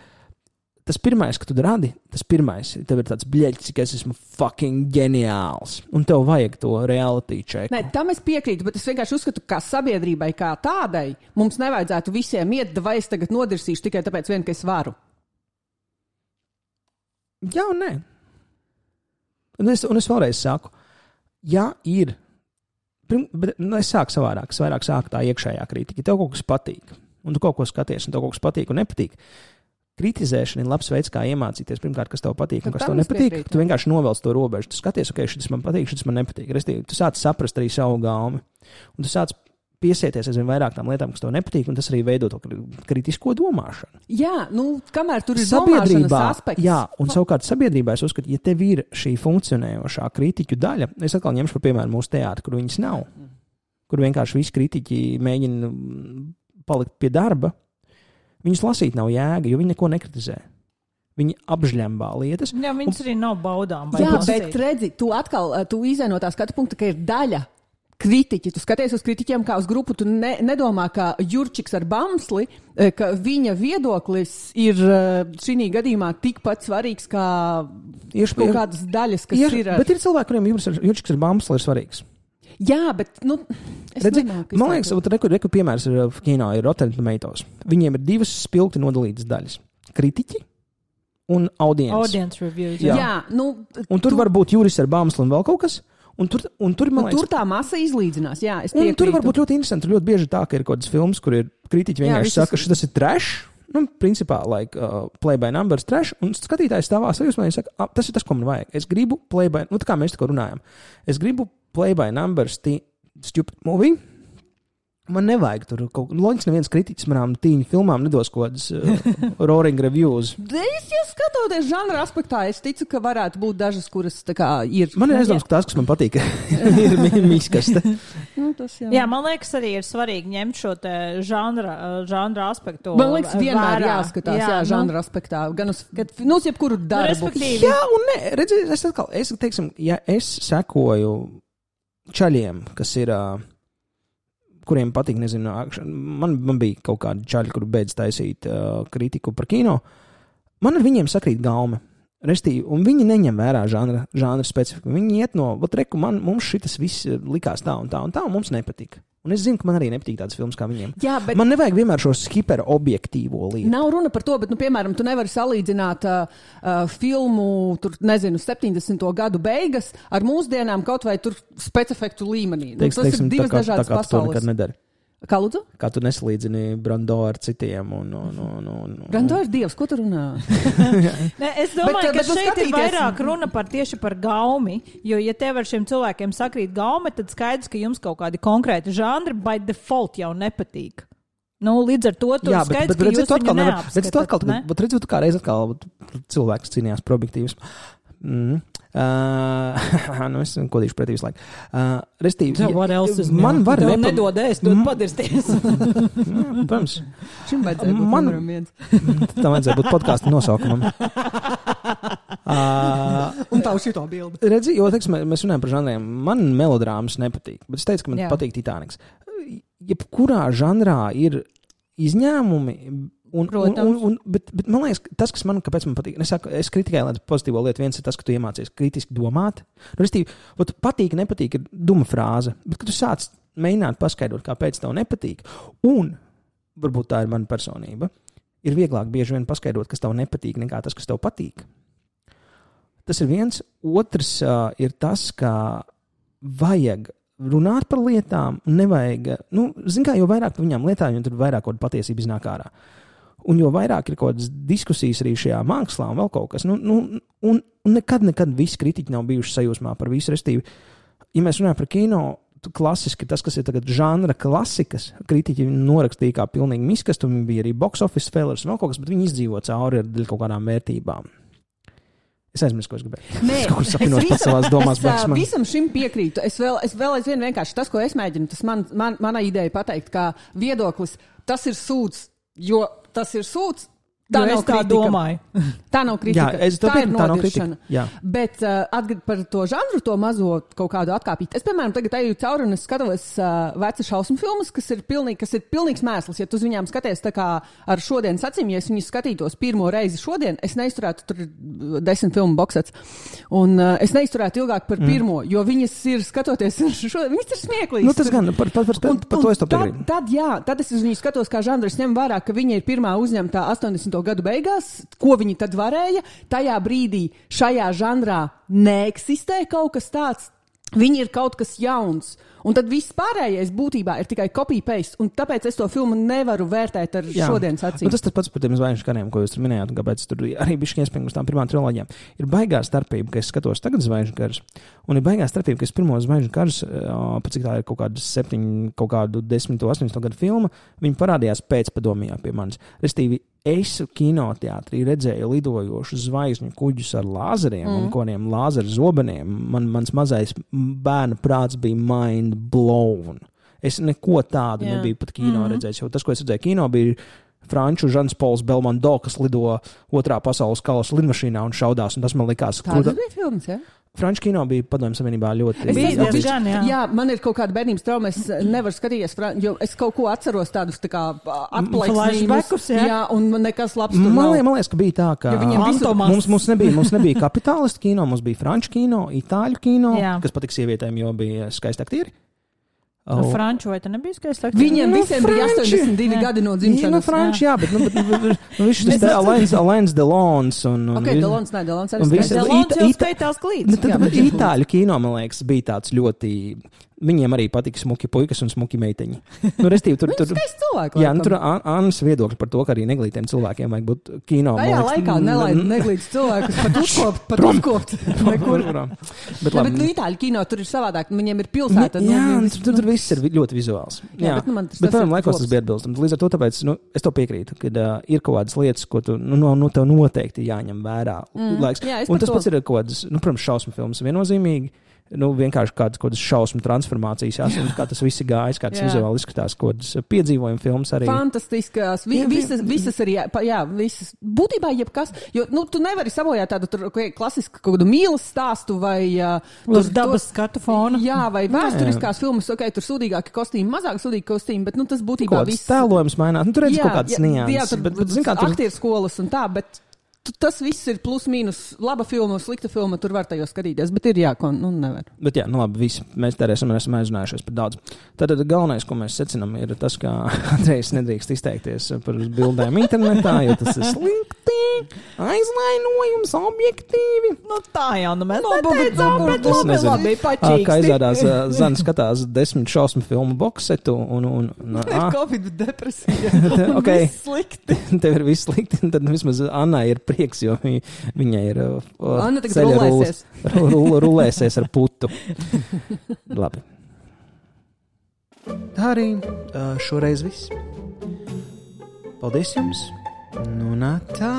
Tas pirmais, ka tu rādi, tev ir tāds bļeļķis, ka es esmu fucking ģeniāls, un tev vajag to reality check. Nē, tam es piekrītu, bet es vienkārši uzskatu, ka sabiedrībai kā tādai mums nevajadzētu visiem iet, vai es tagad nodirsīšu tikai tāpēc vien, ka es varu. Jā un nē. Un es vēlreiz saku, ja ir, bet es sāku savādāk, es vairāk sāku tā iekšējā kritika. Ja tev kaut kas patīk, un tu kaut ko skaties, un tev kaut kas patīk un nepatīk, kritizēšana ir labs veids, kā iemācīties pirmkārt, kas tev patīk un kas tev nepatīk. Tu vienkārši novelc to robežu. Tu skaties, ok, šis man patīk, šis man nepatīk. Restīvi, tu sāc saprast arī savu gaumi. Un tu sāc piesieties aizvien vairāk tām lietām, kas tev nepatīk, un tas arī veido to kritisko domāšanu. Jā, kamēr tur ir domāšanas aspekts. Jā, un savukārt sabiedrībā es uzskatu, ja tev ir šī funkcionējošā kritiķu daļa, es atkal ņemšu par piemēru mūsu teātri, kur viņas nav, kur vienkārši visi kritiķi mēģina palikt pie darba, viņus lasīt nav jēga, jo viņi neko nekritizē. Viņi apžļembā lietas. Jā, viņas arī nav baudām. Jā, bet redzi, tu izēj no tā skatu punkta, ka ir daļa kritiķi. Tu skaties uz kritiķiem kā uz grupu, tu nedomā, ka Jurčiks ar Bamsli, ka viņa viedoklis ir šī gadījumā tikpat svarīgs kā kaut kādas daļas, kas ir. Bet ir cilvēki, kuriem Jurčiks ar Bamsli ir svarīgs. Jā, bet, man liekas, reku piemērs ir kino, ir Rotten Tomatoes. Viņiem ir divas spilgti nodalītas daļas. Kritiķi un audience. Audience reviews. Jā, un tur var būt Juris ar Bamsli un vēl kaut kas. Un tur, man liekas, tur tā masa izlīdzinās, jā, es piekrītu. Un tur var būt ļoti interesanti. Tur ļoti bieži tā, ka ir kaut kāds films, kur ir kritiķi vienkārši saka, ka šis ir trash. Principā, play by numbers trash. Un skatītājs stāvā sajūsmā, viņš saka, tas ir tas, ko man vajag. Es gribu play by, tā kā mēs tikko runājam. Es gribu play by numbers stupid movie. Man nevajag tur kaut kā. Loģiski neviens kritiķis manām tīņu filmām nedos kaut kādas roaring reviews. Ja skatoties žanra aspektā, es ticu, ka varētu būt dažas, kuras tā kā ir. Man ir aizdoms, ka tās, kas man patīk, ir mīskaste. Jā, man liekas, arī ir svarīgi ņemt šo te žanra aspektu. Man liekas, vienmēr jāskatās, žanra aspektā. Gan uz jebkuru darbu. Jā, un ne, redziet, teiksim, ja es sekoju čaļiem, kas ir... kuriem patīk, nezinu, man bija kaut kādi čaļi, kuri beidz taisīt kritiku par kino. Man ar viņiem sakrīt gaume. Restīvi, un viņi neņem vērā žanra specifiku. Viņi iet no, mums šitas viss likās tā un tā, un mums nepatika. Un es zinu, ka man arī nepatīk tādas filmas kā viņiem. Jā, bet... Man nevajag vienmēr šos hiperobjektīvo lietu. Nav runa par to, bet, piemēram, tu nevari salīdzināt filmu, 70. gadu beigas ar mūsdienām kaut vai tur specifektu līmenī. Tas ir divas dažādas pasaules. Tā kā tu nekad nedari. Kā lūdzu? Kā tu nesalīdzini Brando ar citiem. Brando ir dievs, ko tu runā? Es domāju, ka šeit ir vairāk runa tieši par gaumi, jo, ja tev ar šiem cilvēkiem sakrīt gaume, tad skaidrs, ka jums kaut kādi konkrēti žanri by default jau nepatīk. Līdz ar to tur skaidrs, ka jūs viņu neapskatat, ne? Bet redziet, kā reiz atkal cilvēks cīnījās par objektīvismu. Es kodīšu pretī visu laiku. Restīvi, man var nedod ēst, dod padirsties. Protams. Šim vajadzēja būt numeram viens. Tam vajadzēja būt podcastu nosaukumam. Un tavu šito bildi. Redzi, jo, teiksim, mēs runājam par žanriem. Man melodrāmas nepatīk, bet es teicu, ka man patīk Titaniks. Jebkurā žanrā ir izņēmumi. Bet man liekas, tas, kas kāpēc man patīk, es kritikēju lietu pozitīvo lietu, viens ir tas, ka tu iemācies kritiski domāt. Patīk, nepatīk ir duma frāze, bet kad tu sāc mēģināt paskaidrot, kāpēc tev nepatīk, un varbūt tā ir mana personība, ir vieglāk bieži vien paskaidrot, kas tev nepatīk, nekā tas, kas tev patīk. Tas ir viens. Otrs ir tas, ka vajag runāt par lietām, nevajag, zin kā, jo vairāk par viņām lietām, jo tur vairāk kaut kāda patiesība iznāk ārā. Un jo vairāk ir kaut kādas diskusijas arī šajā mākslā un vēl kaut kas, un nekad visi kritiķi nav bijuši sajūsmā par visu, restīvi. Ja mēs runājam par kino, klasiski tas, kas ir tagad žanra klasikas, kritiķi norakstīja kā pilnīgi miskastu, un bija arī box office failures un vēl kaut kas, bet viņi izdzīvo cauri ar kaut kādām vērtībām. Es aizmirsu, ko es gribēju. Nē, es kaut kur sapinos pēc savās domās. Es visam šim piekrītu. Es vēl aizvien vienkārši tas, ko es mēģinu, tas mana ideja pateikt, kā viedoklis, tas ir sūds, jo tas ir sūds. Tā nav kritika. Domāju. Tā nav kritika. Jā, tā ir nodiršana. Bet par to žanru, to mazo kaut kādu atkāpīt. Es, piemēram, tagad eju cauri un es skatos veca šausmu filmas, kas ir pilnīgs mēsls. Ja tu uz viņām skaties tā kā ar šodienas acīm, ja es viņus skatītos pirmo reizi šodien, es neizturētu tur 10 filmu boksets. Un es neizturētu ilgāk par pirmo, jo viņas ir skatoties šodien, viņas ir smieklīgas. Tas gan, par to es to piekrītu. Tad es uz viņu skatos kā žanru, es ņemu vērā, ka viņa ir pirmā uzņemtā 80. gadu beigās, ko viņi tad varēja. Tajā brīdī šajā žanrā neeksistē kaut kas tāds. Viņi ir kaut kas jauns. Un tad viss pārējais būtībā ir tikai copy-paste. Un tāpēc es to filmu nevaru vērtēt ar šodienas acīm. Tas pats par tiem zvaigžņu kariem, ko jūs tur minējāt, un kāpēc tur arī bišķi iespējams uz tām pirmām triloģijām. Ir baigā starpība, ka es skatos tagad zvaigžņu karus, un ir baigā starpība, ka es pirmo zvaigžņu karus, pat cik tā ir kaut kādu 10, 18 gadu filma, viņi parādījās pēcpadomijā pie manis. Restīvi, es kinoteātrī redzēju lidojošu zvaigžņu kuģus ar lāzeriem un kodiem lāzeru zobeniem. Mans mazais bērnu prāts bija mind blown. Es neko tādu nebiju pat kino redzējis, jo tas, ko es redzēju kino, bija franču Žans Pols Belmondo, kas lido otrā pasaules kausa lidmašīnā un šaudās, un tas man likās... Tādas bija filmas, ja? Franču kino bija Padomju Savienībā ļoti... Jā, man ir kaut kāda bērnības trauma, es nevaru skatīties, jo es kaut ko atceros tādus tā kā atplaiksnīmus. Jā, un nekas labs tur nav. Man liekas, ka bija tā, ka mums nebija kapitālistu kino, mums bija franču kino, itāļu kino, kas patika sievietēm, jo bija skaisti aktieri. Franču vai te nebija skaisti? Viņiem visiem bija 82 gadi no dzimšanas. Franču, jā, bet viņš tas te Alains Delons un... Ok, Delons arī Delons jau skaitās klīdz. Itāļu kino, man liekas, bija tāds ļoti... Viņiem arī patika smuki puikas un smuki meiteņi. Restīvi, tur skaisti cilvēki. Jā, tur Annas viedokļi par to, ka arī neglītiem cilvēkiem vajag būt kino. Tajā laikā nelaid neglītus cilvēkus pat uzkopt. Bet itāļu kino tur ir savādāk. Viņiem ir pilsēta. Jā, tur viss ir ļoti vizuāls. Jā, bet pirmam laikos tas bija atbilstams. Līdz ar to tāpēc, es to piekrītu, kad ir kaut kādas lietas, ko tu, tev noteikti jāņem vērā laiks. Un tas pats ir kaut kādas, protams, šausmu filmas viennozīmīgi. Vienkārši kādas šausmu transformācijas, kā tas viss ir gājis, kā tas vizuāli izskatās, kādas piedzīvojuma filmas arī. Fantastiskas, visas arī, visas, būtībā jebkas, jo, tu nevari sabojāt tādu klasisku kaut kādu mīlas stāstu vai... Uz dabas skatu fona. Jā, vai vēsturiskās filmas, tur sūdīgāki kostīmi, mazāk sūdīgi kostīmi, bet, tas būtībā viss... Tēlojums mainās, tur redz kaut kādas nianses. Jā, tur aktieru skolas un tā, bet... Tas viss ir plus mīnus laba filma, slikta filma, tur var tajos skatīties, bet ir nevar. Bet labi, visi mēs esam aizrunājušies par daudz. Tātad galvenais, ko mēs secinām, ir tas, ka Andrejs nedrīkst izteikties par bildēm internetā, jo tas ir slikti, aizvainojums objektīvi. Tā jau, mēs neteicām, bet labi, pačīksti. Kā izrādās, Zana skatās 10 šausmu filmu boksetu un Covid depresija. Viss slikti. Tev ir viss slikti, un tad vismaz Annai ir prieks, jo viņa ir rulēsies ar putu. Labi. Tā arī šoreiz viss. Paldies jums. Tā.